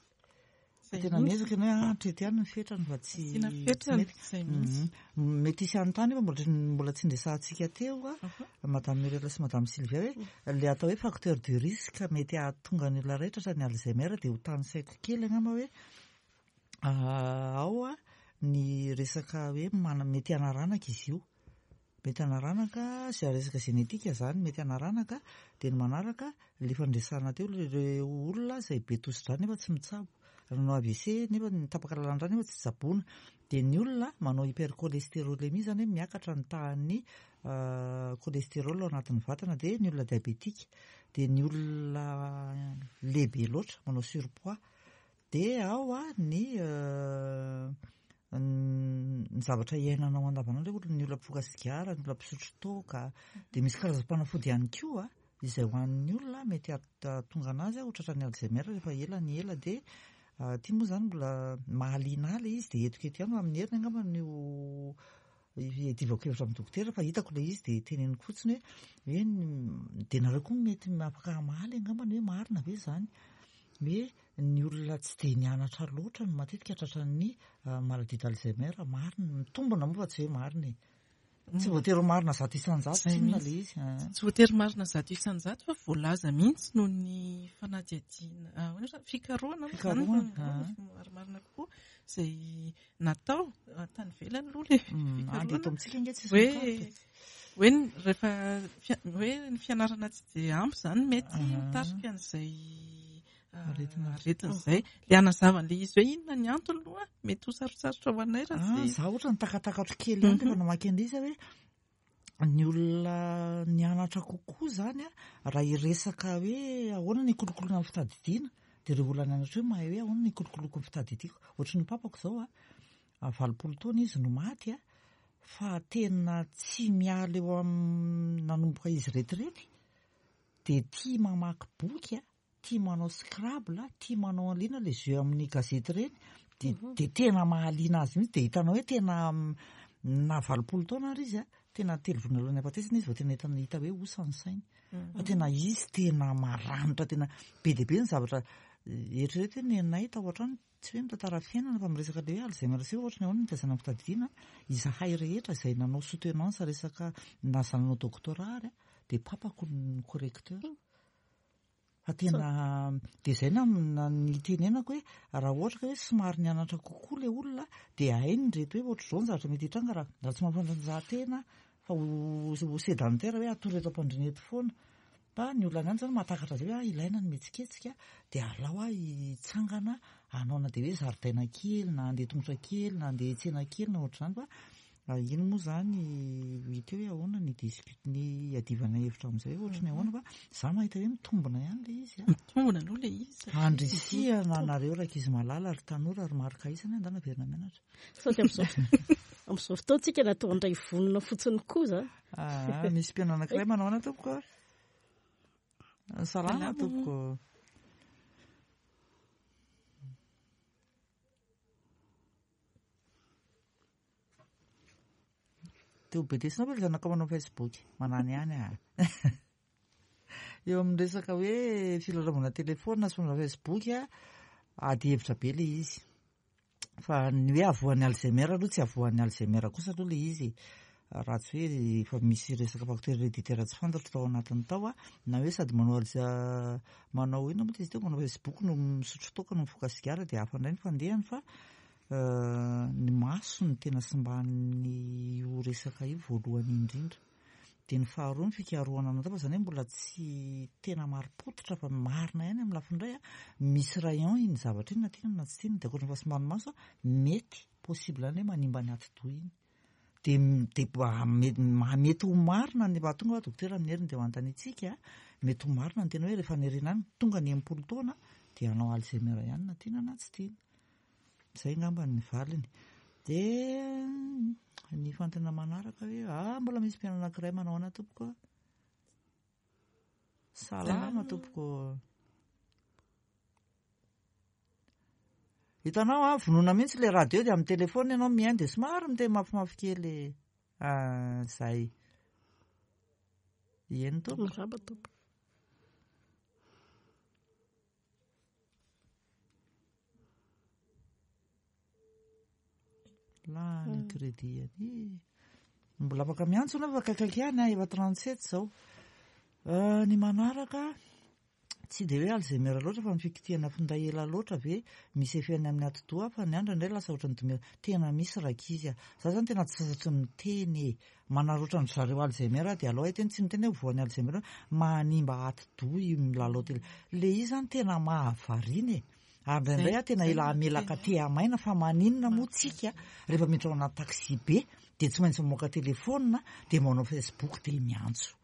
Tena miezaka ianao hoe ah, hatreto ihany ny fetrany fa tsy Asiana fetrany, izay mihitsy. Mety hisy hanontany io fa mbola tsy niresahantsika teo a, Madame Muriel sy Madame Sylvia hoe ilay atao hoe facteur de risque mety hahatonga ny olona iray tratran'ny Alzheimer dia ho tanisaiko kely angamba hoe ao ny resaka hoe mety hanaranaka izy io. Mety hanaranaka sy resaka génétique izany mety hanaranaka dia ny manaraka ilay efa niresahana teo ireo olona izay be tosi-drà nefa tsy mitsabo, nanao AVC nefa tapaka lalan-drà nefa tsy tsaboina, dia ny olona manao hypercholestérolémie izany hoe miakatra ny tahan'ny cholestérol ao anatin'ny vatana, dia ny olona diabétique, dia ny olona lehibe loatra manao surpoids, Dia ao ny ny zavatra iainanao andavanandro hoe ny olona mpifoka sigara, ny olona mpisotro toaka, dia misy karazam-panafody ihany koa izay hohanin'ny olona mety hahatonga anazy ho tratran'ny Alzheimer rehefa ela ny ela. Dia ity moa izany mbola mahaliana ahy ilay izy dia entiko eto ihany fa amin'ny heriny angamba no hiadivako hevitra amin'ny dokotera fa hitako ilay izy dia teneniko fotsiny hoe hoe dia nareo koa mety afaka hamaly angambany hoe marina ve izany hoe ny olona tsy dia nianatra loatra no matetika tratran'ny maladie d'Alzheimer. Marina, mitombina moa fa tsy hoe marina e. Tsy voatery ho marina 100% tsinona ilay izy. Tsy voatery marina 100% fa voalaza mihitsy noho ny fanadihadiana, ahoana izany, fikarohana moa izany, marimarina kokoa, izay natao tany ivelany aloha ilay fikarohana. Eto amintsika ange tsisy hoe hoe rehefa hoe ny fianarana tsy dia ampy izany mety mitarika an'izay aretina izay. Ilay hanazava an'ilay izy hoe inona ny antony aloha mety ho sarotsarotra ho anay raha tsy. Izaho ohatra ny takatakatro kely ihany rehefa namaky an'ilay izy hoe ny olona nianatra kokoa izany raha hiresaka hoe ahoana ny hikolokoloana ny fitadidiana dia ireo olona nianatra hoe mahay hoe ahoana ny hikolokoloako ny fitadidiako. Ohatry ny papako izao a, 80 taona izy no maty a, fa tena tsy miala eo amin'ny nanomboka izy retirety dia tia mamaky boky a, tia manao scrabble, tia manao an'ilay ilay jeu amin'ny gazety ireny, dia dia tena mahaliana azy mihitsy, dia hitanao hoe tena na 80 taona ary izy a, tena telo volana alohan'ny hahafatesana izy vao tena hita hita hoe osa ny sainy. Fa tena izy tena maranitra, tena be dia be ny zavatra eritrereto hoe nenay tao an-trano, tsy hoe mitantara fiainana fa miresaka ilay hoe Alzheimer sy ohatry ny ahoana ny nitaizana ny fitadidiana, izahay rehetra izay nanao soutenance resaka na za nanao doctorat ary dia papako no correcteur. Fa tena dia izay na nitenenako hoe raha ohatra ka hoe somary nianatra kokoa ilay olona dia hainy ireto hoe ohatr'izao ny zavatra mety hitranga raha raha tsy mampanatanjahan-tena fa ho ho sédentaire hoe hatory eto am-pandriana eto foana. Fa ny olona any izany mahatakatra izay hoe ah ilaina ny mihetsiketsika dia alao aho hitsangana hanao na dia hoe zaridaina kely na handeha tongotra kely na handeha hiantsena kely na ohatr'izany fa Iny moa izany hita eo hoe ahoana ny discute ny hiadivana hevitra amin'izay hoe ohatry ny ahoana fa za mahita hoe mitombina ihany ilay izy a. Mitombina aloha ilay izy. Andrisihana anareo rankizy malala ry tanora ry marika isany andana averina mianatra. Sao dia amin'izao amin'izao fotoana tsika natao handray vonona fotsiny koa izany. Ah, misy mpihaino anankiray manao ahoana tompoko? Salama tompoko. Te ho bedesinao ve le zanakao manao Facebook? Manany ihany ah. Eo amin'ny resaka hoe filalaovana telefaonina sy fanaovana Facebook a, ady hevitra be le izy. Fa ny hoe avoan'ny Alzheimer aloha tsy avoan'ny Alzheimer kosa aloha le izy e. Raha tsy hoe efa misy resaka facteur héréditaire tsy fantatro tao anatiny tao a, na hoe sady manao Alz manao inona moa izy teo, manao Facebook no misotro toaka no mifoka sigara dia hafa indray ny fandehany fa ny maso no tena simban'io resaka io voalohany indrindra. Dia ny faharoa ny fikarohana natao fa izany hoe mbola tsy tena marim-pototra fa marina ihany amin'ny lafiny iray a, misy rayon iny zavatra iny na tiana na tsy tiana, dia ankoatra ny fahasimban'ny maso a, mety possible ihany hoe manimba ny atidoha iny. Dia dia mety ho marina ny raha tonga dokotera amin'ny heriny dia ho anontaniantsika, mety ho marina ny tena hoe rehefa any aoriana any tonga ny 60 taona dia hanao Alzheimer ihany na tiana na tsy tiana. Izay angamba ny valiny. Dia ny fanontaniana manaraka hoe ah mbola misy mpihaino anankiray manao ahoana tompoko? Salama tompoko. Hitanao ah, vonoina mihitsy ilay radio dia amin'ny telefaonina ianao mihaino dia somary miteny mafimafy kely. Ah, izay. Eny tompoko. Miraba tompoko. Lany hmm. crédit any. Mbola afaka miantso anao fa akaikaiky ihany ah, efa 37 izao. Euh, ny manaraka tsy dia hoe Alzheimer loatra fa ny fikitihana finday ela loatra ve misy effet any amin'ny atidoha fa ny andro indray lasa ohatran'ny domela. Tena misy rankizy ah. Za zany tena tsy sasatry miteny e. Manarotra an-dry zareo Alzheimer aho dia alao hiteny, tsy miteny hoe voan'ny Alzheimer, manimba atidoha io milalao tele. Le izy zany tena mahavariana e. Ary indraindray aho tena ela hamelaka tehamaina fa maninona moa tsika rehefa miditra ao anaty taxi be dia tsy maintsy mamoaka telephone dia manao Facebook dia miantso.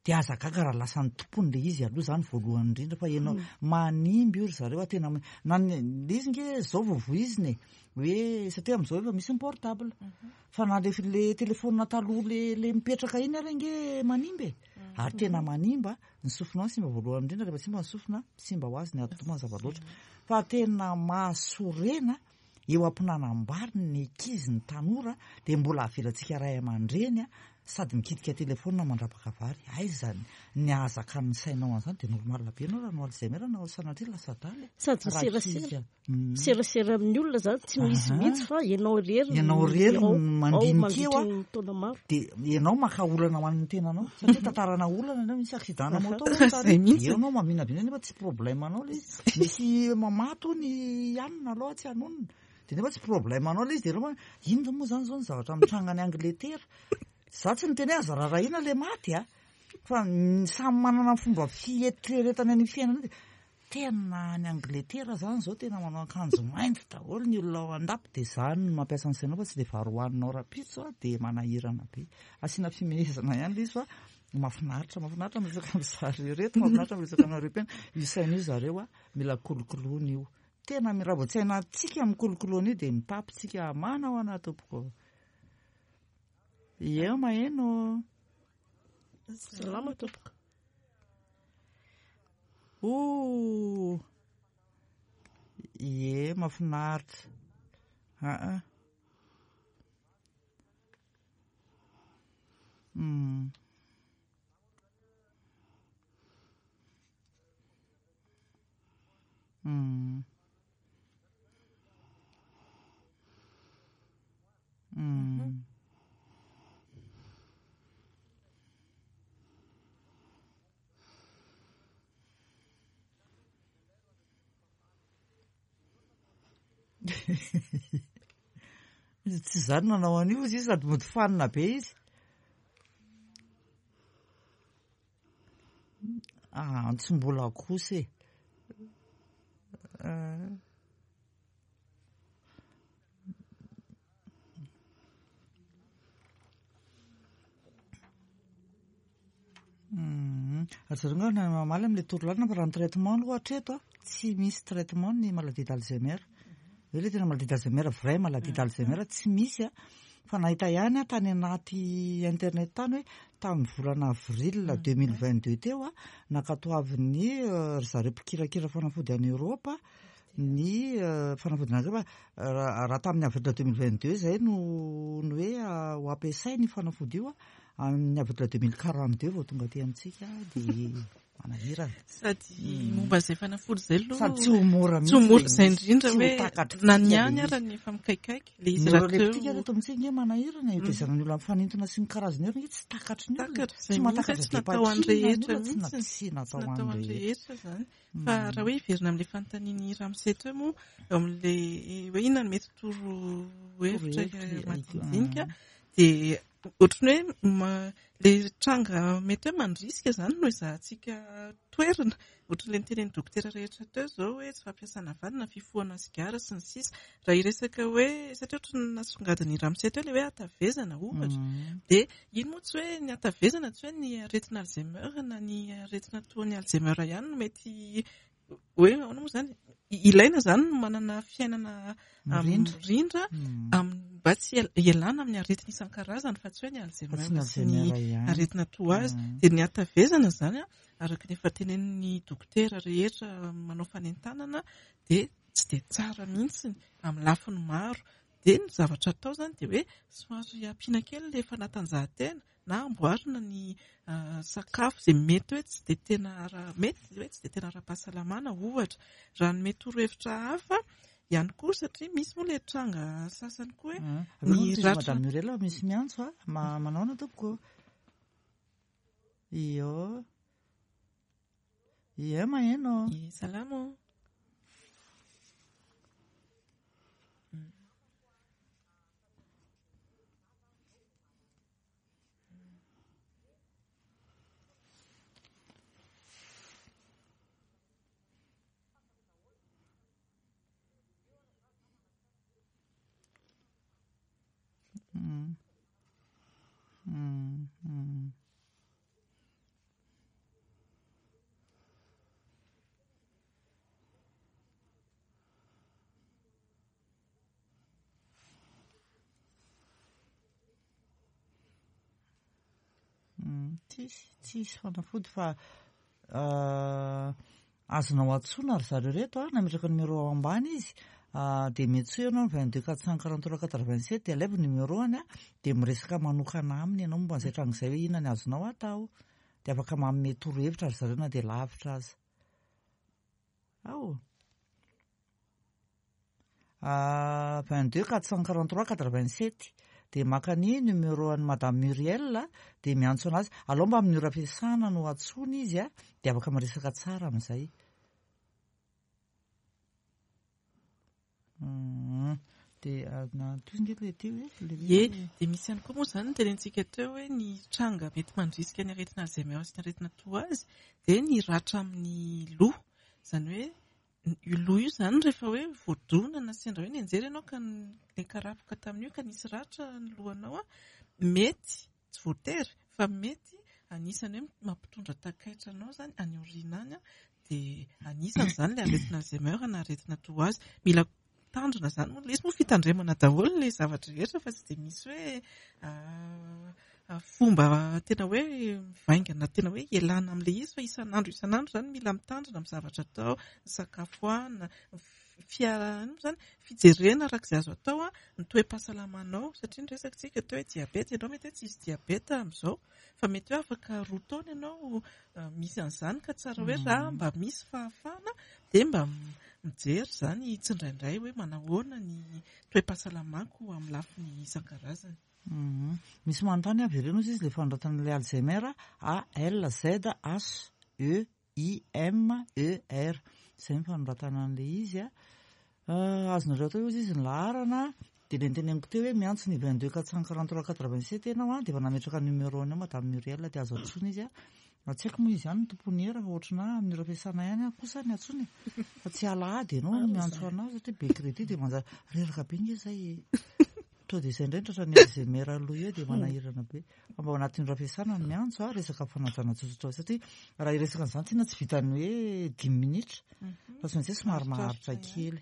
Dia aza gaga raha lasa ny tompony le izy aloha zany voalohany indrindra fa ianao manimba io ry zareo a tena na ny le izy nge zao vao voizina e hoe satria amin'izao efa misy ny portable fa na le le telephone taloha le le mipetraka iny ary nge manimba e ary tena manimba ny sofinao simba voalohany indrindra rehefa simba ny sofina simba ho azy ny atidoha mazava loatra fa tena mahasorena eo am-pinanam-bary ny ankizy, ny tanora dia mbola avelantsika ray aman-dreny sady mikitika telefaonina mandrapaka vary. Aiza ny ahazakan'ny sainao an'izany? Dia normal be ianao raha no Alzheimer na sanatria lasa adala e. Sady miserasera. Miserasera amin'ny olona izany tsy misy mihitsy fa ianao irery no Ianao irery no mandinika eo ao mandritra ny taona maro. Dia ianao maka olana ho an'ny tenanao satria tantarana olana ianao, misy accident-na moto hono tary, dia eo ianao maminavina nefa tsy problème anao ilay izy. Misy mamato hono i anona aloha tsy hanonona. Dia nefa tsy problème anao ilay izy dia ianao inona moa izany izao ny zavatra mitranga any Angletera. Za tsy niteny hoe aza rarahina ilay maty a. Fa samy manana ny fomba fieritreretany an'io fiainana io dia tena any Angletera izany izao tena manao akanjo mainty daholo ny olona ao an-dapa dia izany no mampiasa ny sainao fa tsy ilay vary hohaninao rahampitso a dia manahirana be. Asiana fimehezana ihany ilay izy fa Mahafinaritra, mahafinaritra miresaka amin'ny zareo ireto, mahafinaritra miresaka aminareo mpiana. Io saina io zareo a, mila kolokoloina io. Tena raha vao tsy hainantsika mikolokolo an'io dia mitapy tsika manao ana tompoko. Eo maheno. Salama tompoko. Oh. Ie, mahafinaritra. Aa. Mm. Mm. Mm. Tsy izaho no nanao an'io izy sady mody fanina be izy. Ah, tsy mbola kosa e. Ah. Ry zareo angamba no mamaly amin'ilay torolalana fa raha ny traitement aloha hatreto a, tsy misy traitement ny maladie d'Alzheimer. Hoe ilay tena maladie d'Alzheimer, vraie maladie d'Alzheimer tsy misy a. Fa nahita ihany aho tany anaty internet tany hoe tamin'ny volana avril 2022 teo a, nankatoavin'ny ry zareo mpikirakira fanafody any Eoropa. Ny fanafody anankiray fa raha tamin'ny avril 2022 izay no ny hoe ho ampiasaina io fanafody io, amin'ny avril 2042 vao tonga aty amintsika dia manahirana. Sady momba izay fanafody izay aloha Sady tsy ho mora tsy ho mihitsy mora ilay izay izy. indrindra Tsy ho hoe takatritsika na ny ilay any izy. ara ny efa mikaikaika ilay izy rahateo. Neuroleptique eto amintsika ange manahirana, io tezana ny olona mifanintona sy ny karazany io ange tsy takatry ny olona. Takatra Tsy izay mihitsy hoe mahatakatra tsy natao ho an'ny depakine ny rehetra olona, tsy mihitsy. tsy Tsy natao ho natao ho an'ny an'ny rehetra. rehetra izany. Fa raha hoe hiverina amin'ilay fanontanian'i Ramose teo moa, eo amin'ilay hoe inona no mety toro hevitra Torohevitra, madinidinika, dia ohatran'ny hoe ilay tranga mety hoe mandrisika izany no ezahantsika toerina. Ohatran'ilay nitenenin'ny dokotera rehetra teo izao hoe tsy fampiasana vanina, fifohana sigara sy ny sisa. Raha hiresaka hoe, satria ohatran'ny nasongadin'i Ramose teo ilay hoe hatavezana ohatra, dia iny moa tsy hoe ny hatavezana, tsy hoe ny aretina Alzheimer na ny aretina toa ny Alzheimer ihany no mety hoe ahoana moa izany, ilaina izany ny manana fiainana Mirindra. mirindra, mba tsy hialana amin'ny aretina isan-karazany fa tsy hoe ny Alzheimer Fa tsy ny sy ny Alzheimer ihany. aretina toa azy. Dia ny hatavezana izany, araka ny efa tenenin'ny dokotera rehetra manao fanentanana, dia tsy dia tsara mihitsy amin'ny lafiny maro. Dia ny zavatra atao izany dia hoe somary ampiana kely ilay fanatanjahantena na amboarina ny sakafo izay mety hoe tsy dia tena ara-, mety hoe tsy dia tena ara-pahasalamana ohatra. Raha ny mety torohevitra hafa ihany koa, satria misy moa ilay tranga sasany koa hoe Avy eo ny moa tohizo ratra Madame Muriel, misy miantso a, manao ahoana tompoko? Io. Ie, maheno. Ie, salama. Tsisy, tsisy fanafody fa azonao antsoina ry zareo reto a, nametraka numéro ao ambany izy, dia miantsoa ianao 22 443 87 dia alaivo numéro-ny a, dia miresaka manokana aminy ianao momba an'izay tranga izay hoe inona ny azonao atao. Dia afaka manome torohevitra ry zareo na dia lavitra aza. Ao. 22 443 87 dia maka ny numéro an'i Madame Muriel dia miantso anazy. Alao mba amin'ny ora fiasana no antsoina izy a, dia afaka miresaka tsara amin'izay. Dia na toy nge le teo e, le hoe Ie, dia misy ihany koa moa izany ny tenentsika teo hoe ny tranga mety mandrisika ny aretina Alzheimer sy ny aretina toa azy dia ny ratra amin'ny loha. Izany hoe io loha io izany rehefa hoe voadona na sendra hoe nianjera ianao ka nikarapoka tamin'io ka nisy ratra ny lohanao a, mety, tsy voatery, fa mety anisany hoe mampitondra takaitra anao izany any aoriana any a, dia anisany izany ilay aretina Alzheimer na aretina toa azy. Mila mitandrina izany moa, ilay izy moa fitandremana daholo ilay zavatra rehetra fa tsy dia misy hoe fomba tena hoe mivaingana, tena hoe ialana amin'ilay izy fa isan'andro isan'andro izany mila mitandrina amin'ny zavatra atao, ny sakafo hohanina, ny fiarahana moa izany, fijerena araka izay azo atao ny toe-pahasalamanao, satria ny resaka tsika teo hoe diabeta, ianao mety hoe tsisy diabeta amin'izao fa mety hoe afaka 2 taona ianao misy an'izany ka tsara hoe raha mba misy fahafahana dia mba mijery izany tsindraindray hoe manahoana ny toe-pahasalamako amin'ny lafiny isan-karazany. Misy manontany avy ireny ozy izy ilay fanoratana ilay Alzheimer, A L Z H E I M E R. Izay ny fanoratana an'ilay izy a. Azonareo atao ozy izy ny laharana, dia ilay niteneniko teo hoe miantso ny 22 443 87 ianao a, dia efa nametraka numéro anao Madame Muriel dia azo antsoina izy a. Raha tsy haiko moa izy ihany no tompon'ny hera fa ohatrana amin'ny ora fiasana ihany aho kosa ny antsoina e. Fa tsy alahady ianao no miantso anazy satria be crédit dia manjary reraka be nge izay e. Toa dia izay indray ny tratran'ny Alzheimer aloha eo dia manahirana be. Fa mba ao anatin'ny ora fiasana no miantso a, resaka fanajana tsotsotra satria raha hiresaka an'izany tena tsy vitan'ny hoe dimy minitra fa tsy maintsy hoe somary maharitra kely.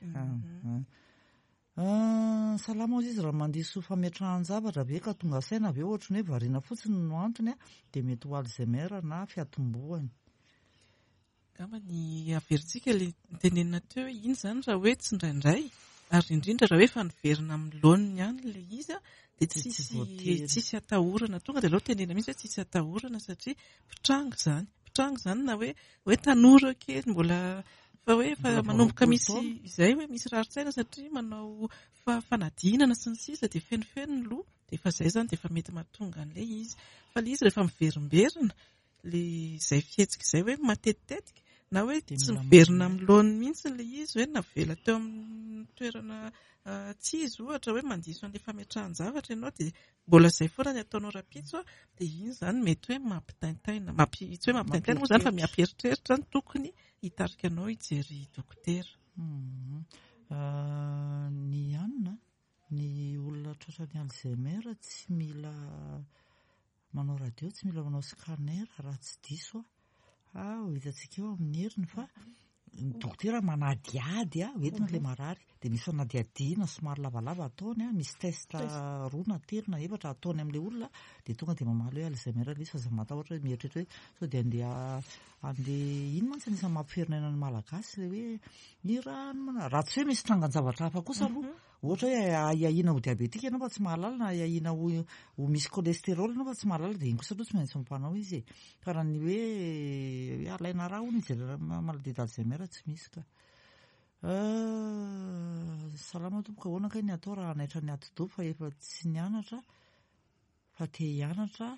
Salama ozy izy, raha mandiso fametrahan-javatra ve ka tonga saina avy eo ohatran'ny hoe variana fotsiny no antony a, dia mety ho Alzheimer na fiatombohany. Angamba ny averintsika ilay notenenina teo hoe iny izany raha hoe tsindraindray ary indrindra raha hoe efa niverina amin'ny laoniny ihany ilay izy dia tsisy tsisy atahorana. Tonga dia aleo tenenina mihitsy hoe tsisy atahorana satria mpitranga izany. Mpitranga izany na hoe hoe tanora kely mbola fa hoe efa manomboka misy izay hoe misy rarin-tsaina satria manao fanadinana sy ny sisa dia fenofeno ny loha dia efa izay izany dia efa mety mahatonga an'ilay izy. Fa ilay izy rehefa miverimberina ilay izay fihetsika izay hoe matetitetika na hoe tsy miverina amin'ny laoniny mihitsy ilay izy hoe navela teo amin'ny toerana tsy izy ohatra hoe mandiso an'ilay fametrahan-javatra ianao dia mbola izay foana ny ataonao rahampitso dia iny izany mety hoe mampitaintaina, mampi, tsy hoe mampitaintaina moa izany fa miampieritreritra ny tokony hitarika anao hijery dokotera. Ny anona, ny olona tratran'ny Alzheimer tsy mila manao radio, tsy mila manao scanner raha tsy diso aho. Ah, ho hitantsika eo amin'ny heriny fa ny dokotera manadihady ah, hoentina ilay marary. Dia misy fanadihadiana somary lavalava ataony ah, misy test roa na telo na efatra ataony amin'ilay olona, dia tonga dia mamaly hoe Alzheimer ilay izy fa aza matahotra hoe mieritreritra hoe sao dia andeha andeha iny mantsy anisan'ny mampiferinaina ny Malagasy ilay hoe ny rano mana-, raha tsy hoe misy trangan-javatra hafa kosa aloha. Ohatra hoe ahiahiana ho diabetika ianao fa tsy mahalala na ahiahiana ho ho misy cholestérol ianao fa tsy mahalala dia iny kosa aloha tsy maintsy mpanao izy e. Fa raha ny hoe hoe alaina rà hono hijerena maladie d'Alzheimer tsy misy ka. Salama tompoko, ahoana kay ny atao raha hanaitra ny atidoha fa efa tsy nianatra fa te hianatra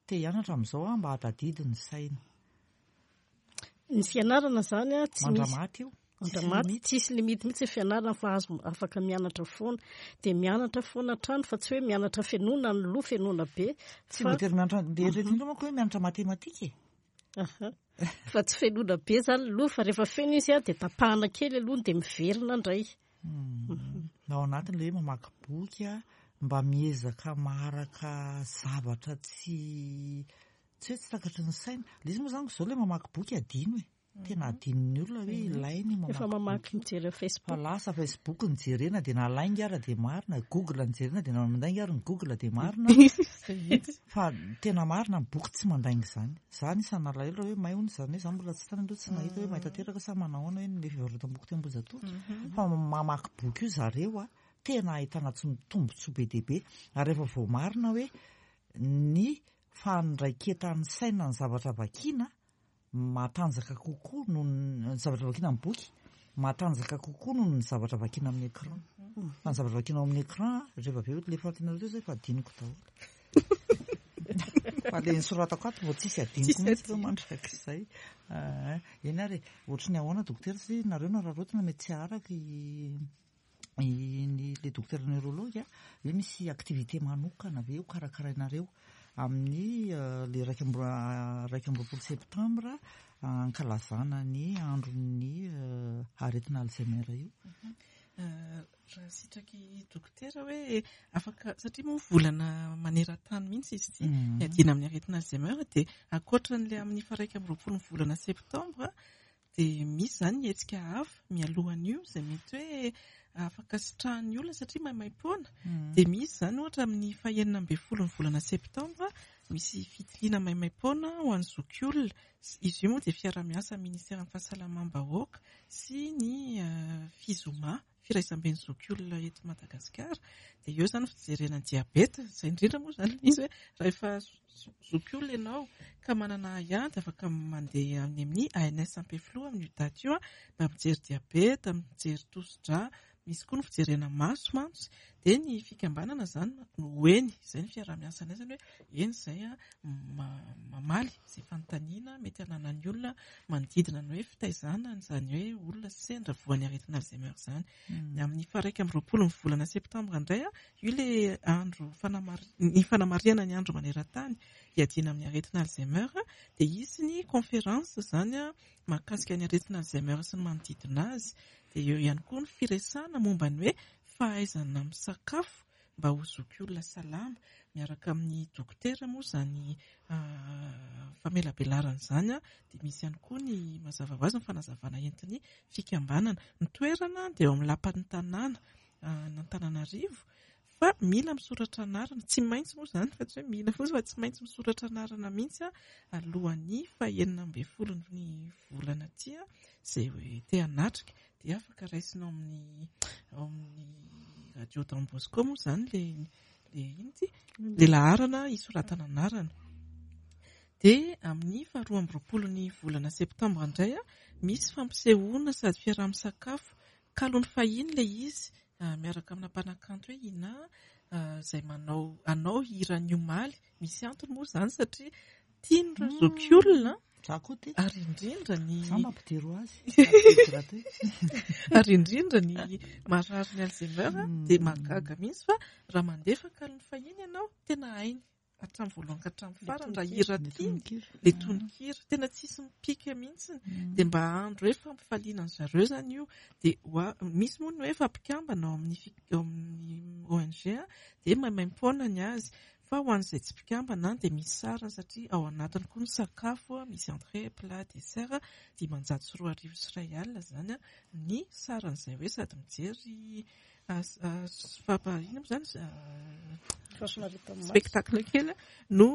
te hianatra amin'izao aho mba hahatadidy ny saina. Ny fianarana izany a, tsy misy. Mandramaty io. Mandramaty, tsisy limite mihitsy ny fianarana fa azo afaka mianatra foana. Dia mianatra foana hatrany fa tsy hoe mianatra fenoana ny loha, fenoana be. Tsy voatery mianatra, dia eritreretin'ireo manko hoe mianatra matematika e. Aha. Fa tsy fenoana be izany ny loha fa rehefa feno izy a, dia tapahana kely aloha dia miverina indray. Ao anatin'ilay hoe mamaky boky a, mba miezaka maharaka zavatra tsy tsy hoe tsy takatry ny saina. Ilay izy moa izany izao ilay mamaky boky adino e. Tena adinon'ny olona hoe ilaina io mamaky Efa mamaky mijery amin'ny Facebook. Fa lasa Facebook no jerena dia na lainga ara dia marina, Google no jerena dia na mandainga ary ny Google dia marina. Fa tena marina ny boky tsy mandainga izany. Za anisan'ny nalahelo raha hoe may hono izany hoe za mbola tsy tany aloha tsy nahita hoe may tanteraka sa manahoana hoe ny fivarotam-boky teo Ambohijatovo. Fa mamaky boky io zareo a, tena ahitana tombotsoa be dia be. Ary rehefa voamarina hoe ny fandraiketan'ny saina ny zavatra vakiana matanjaka kokoa noho ny zavatra vakiana amin'ny boky, matanjaka kokoa noho ny zavatra vakiana amin'ny écran. Fa ny zavatra vakiana ao amin'ny écran, rehefa avy eo ilay fanontaniana teo izay efa adinoko daholo. Fa ilay nosoratako ato vao tsisy adinoko mihitsy ireo mandrakizay. Eny ary e, ohatry ny ahoana dokotera satria nareo nararaotina mety tsy haharaka i ny le dokotera neurologue hoe misy activité manokana ve ho karakarainareo amin'ny le 21 septembre ankalazana ny andron'ny aretina Alzheimer io. Raha sitraky dokotera hoe afaka, satria moa volana maneran-tany mihitsy izy ity, hiadiana amin'ny aretina Alzheimer, dia ankoatran'ilay amin'ny faha 21 ny volana septambra, Dia misy izany ny hetsika hafa mialohan'io izay mety hoe afaka sitrahan'ny olona satria maimaimpoana. Dia misy izany ohatra amin'ny fahenina ambin'ny folon'ny volana septambra misy fitiliana maimaimpoana ho an'ny zokiolona. Izy io moa dia fiaraha-miasa amin'ny ministeran'ny fahasalamam-bahoaka sy ny Fizoma. Firaisamben'ny zokiolona eto Madagasikara dia eo izany fijerena ny diabeta, izay indrindra moa izany ilay izy hoe rehefa zokiolona ianao ka manana ahiahy dia afaka mandeha any amin'ny ANS Ampefiloha amin'io daty io mba mijery diabeta, mijery tosi-drà, misy koa ny fijerena maso mantsy dia ny fikambanana izany no ho eny, izay ny fiaraha-miasanay izany hoe eny izay mamaly izay fanontaniana mety hananan'ny olona manodidina ny hoe fitaizana an'izany hoe olona sendra voan'ny aretina Alzheimer izany. Ny amin'ny faha 21 ny volana septambra indray, io ilay andro ny fanamarihana ny andro maneran-tany hiadiana amin'ny aretina Alzheimer, dia hisy ny conférence izany mahakasika ny aretina Alzheimer sy ny manodidina azy. Dia eo ihany koa ny firesahana momba ny hoe fahaizana misakafo mba ho zokiolona salama, miaraka amin'ny dokotera moa izany famelabelarana izany dia misy ihany koa ny mazava ho azy ny fanazavana entin'ny fikambanana. Ny toerana dia eo amin'ny lapan'ny tanàna an'Antananarivo. Fa mila misoratra anarana, tsy maintsy moa izany fa tsy hoe mila fotsiny fa tsy maintsy misoratra anarana mihitsy alohan'ny faha-16 ny volana ity izay te hanatrika. Dia afaka raisina ao amin'ny ao amin'ny radio Don Bosco moa izany le le inona ity? Le laharana hisoratana anarana. Dia amin'ny faha-22 ny volana septambra indray misy fampisehoana sady fiaraha-misakafo kalon'ny fahiny ilay izy miaraka amina mpanakanto hoe Ina izay manao hanao hiran'ny omaly. Misy antony moa izany satria tian'ireo zokiolona Za koa tia. Ary indrindra ny Za mampidiro azy. Ary indrindra ny marary ny Alzheimer dia mahagaga mihitsy fa raha mandefa kalon'ny fahiny ianao tena hainy hatramin'ny voalohany ka hatramin'ny farany raha hira tiany ilay tononkira tena tsisy mipika mihitsy dia mba andro hoe fampifaliana an-dry zareo izany io dia misy moa ny hoe efa mpikambana ao amin'ny ao amin'ny ONG dia maimaimpoana ny azy fa ho an'izay tsy mpikambana dia misy sarany satria ao anatiny koa ny sakafo misy entrée, plat, dessert 2105 izany ny saran'izay hoe sady mijery inona moa izany spectacle kely no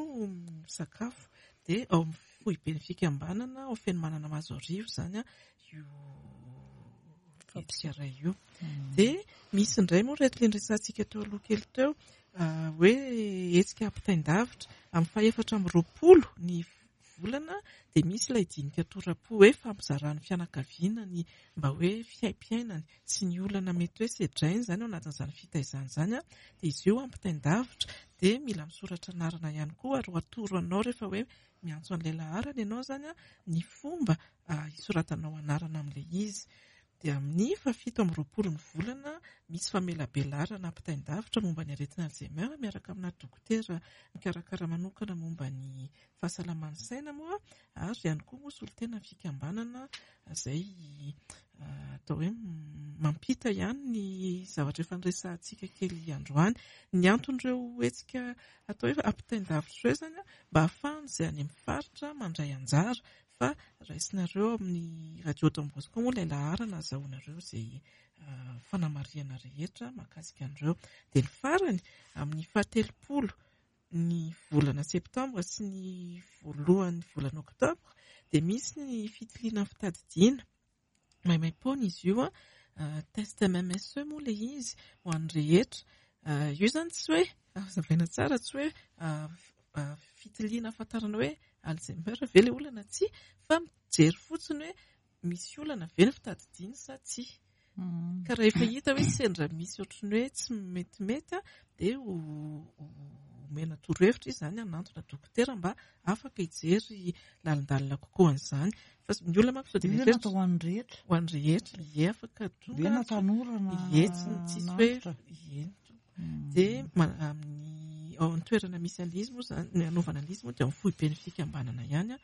misakafo dia ao amin'ny foiben'ny fikambanana ao Fenomanana Mahazoarivo izany io hetsika iray io. Dia misy indray moa ireto ilay niresahantsika teo aloha kely teo hoe hetsika ampitain-davitra amin'ny faha-24 ny volana dia misy ilay dinika tora-po hoe fampizaran'ny fianakaviana ny mba hoe fiaimpiainany sy ny olana mety hoe sedrainy izany ao anatin'izany fitaizana izany dia izy io ampitain-davitra dia mila misoratra anarana ihany koa ary ho atoro anao rehefa hoe miantso an'ilay laharana ianao izany ny fomba hisoratanao anarana amin'ilay izy. Dia amin'ny faha-27 ny volana misy famelabelarana ampitain-davitra momba ny aretina Alzheimer miaraka amina dokotera mikarakara manokana momba ny fahasalaman'ny saina moa ary ihany koa moa solontenan'ny fikambanana izay atao hoe mampita ihany ny zavatra efa niresahantsika kely androany. Ny anton'ireo hetsika atao hoe ampitain-davitra ireo izany mba hahafahan'izay any amin'ny faritra mandray anjara fa raisinareo amin'ny radio Don Bosco moa ilay laharana azahoanareo izay fanamarihana rehetra mahakasika an'ireo. Dia ny farany amin'ny fahatelopolo ny volana septambra sy ny voalohan'ny volana oktobra dia misy ny fitiliana ny fitadidiana maimaimpoana izy io, test MMSE moa ilay izy ho an'ny rehetra. Io izany tsy hoe, hazavaina tsara, tsy hoe fitiliana ahafantarana hoe Alzheimer ve ilay olona na tsia, fa mijery fotsiny hoe misy olana ve ny fitadidiany sa tsia. Ka rehefa hita hoe sendra misy ohatran'ny hoe tsy metimety dia ho omena torohevitra izy izany hanantona dokotera mba afaka hijery lalindalina kokoa an'izany. Fa ny olona manko sao dia Io mieritreritra natao ho an'ny rehetra. Ho an'ny rehetra, ie afaka tonga. Ve na tanora na Ie, tsy tsisy hoe antitra. ie. Dia amin'ny ao an-toerana misy an'ilay izy moa izany, ny hanaovana an'ilay izy moa dia ao amin'ny foiben'ny fikambanana ihany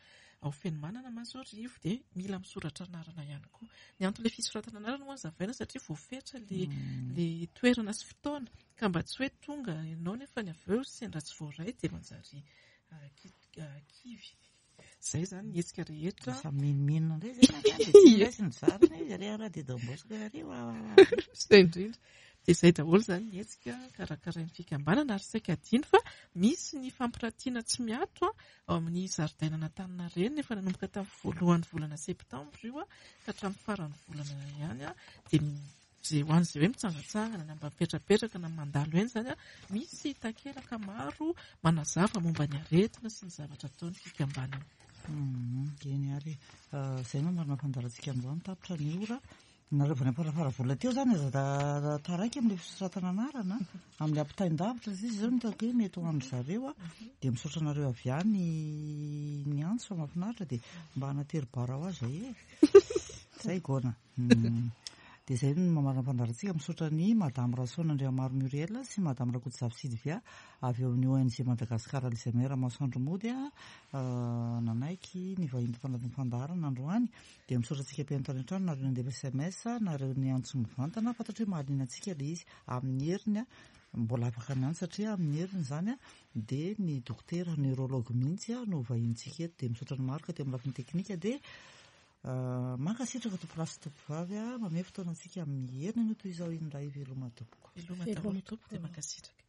ao Fenomanana Mahazoarivo dia mila misoratra anarana ihany koa. Ny anton'ilay fisoratana anarana moa hazavaina satria voafetra ilay ilay toerana sy fotoana ka mba tsy hoe tonga ianao nefa ny avy eo sendra tsy voaray dia manjary kivy. Izay izany ny hetsika rehetra. Lasa menomenona indray izay ny akany dia tsy raisiny zarina izy ary raha dia Don Bosco ary wa wa wa. Izay indrindra. Dia izay daholo izany ny hetsika karakarain'ny fikambanana ary saika adino fa misy ny fampiratiana tsy miato ao amin'ny zaridainan'Antaninarenina efa nanomboka tamin'ny voalohan'ny volana septambra io ka hatramin'ny faran'ny volana ihany dia izay ho an'izay hoe mitsangantsangana na mba mipetrapetraka na mandalo eny izany misy takelaka maro manazava momba ny aretina sy ny zavatra ataon'ny fikambanana. Eny ary izay no marina fandaharantsika androany, tapitra ny ora. Nareo avy any Amparafaravola teo izany aza da taraiky amin'ilay fisoratana anarana, amin'ilay ampitain-davitra satria izao no hitako hoe mety ho an-dry zareo a. Dia misaotra anareo avy any ny antso fa mahafinaritra dia mba hanatery bara ho azy zay e. Zay gona. Dia izay no mamarana ny fandaharantsika. Misaotra an'i Madame Rasoana Andriamaro Muriel sy Madame Rakotozafy Sylvia avy ao amin'ny ONG Madagascar Alzheimer Masoandro Mody nanaiky ny vahiny tato anatin'ny fandaharana androany. Dia misaotra antsika mpihaino tany an-trano, nareo nandefa sms, nareo niantso mivantana, fantatro hoe mahaliana antsika ilay izy amin'ny heriny, mbola afaka miantso satria amin'ny heriny izany dia ny dokotera neurologue mihitsy no vahinintsika eto, dia misaotra an'i Marc teo amin'ny lafiny teknika, dia. Mankasitraka tompolahy sy tompovavy a, mamehy fotoana antsika amin'ny heriny anio toy izao indray. Veloma tompoko. Veloma daholo tompoko dia mankasitraka.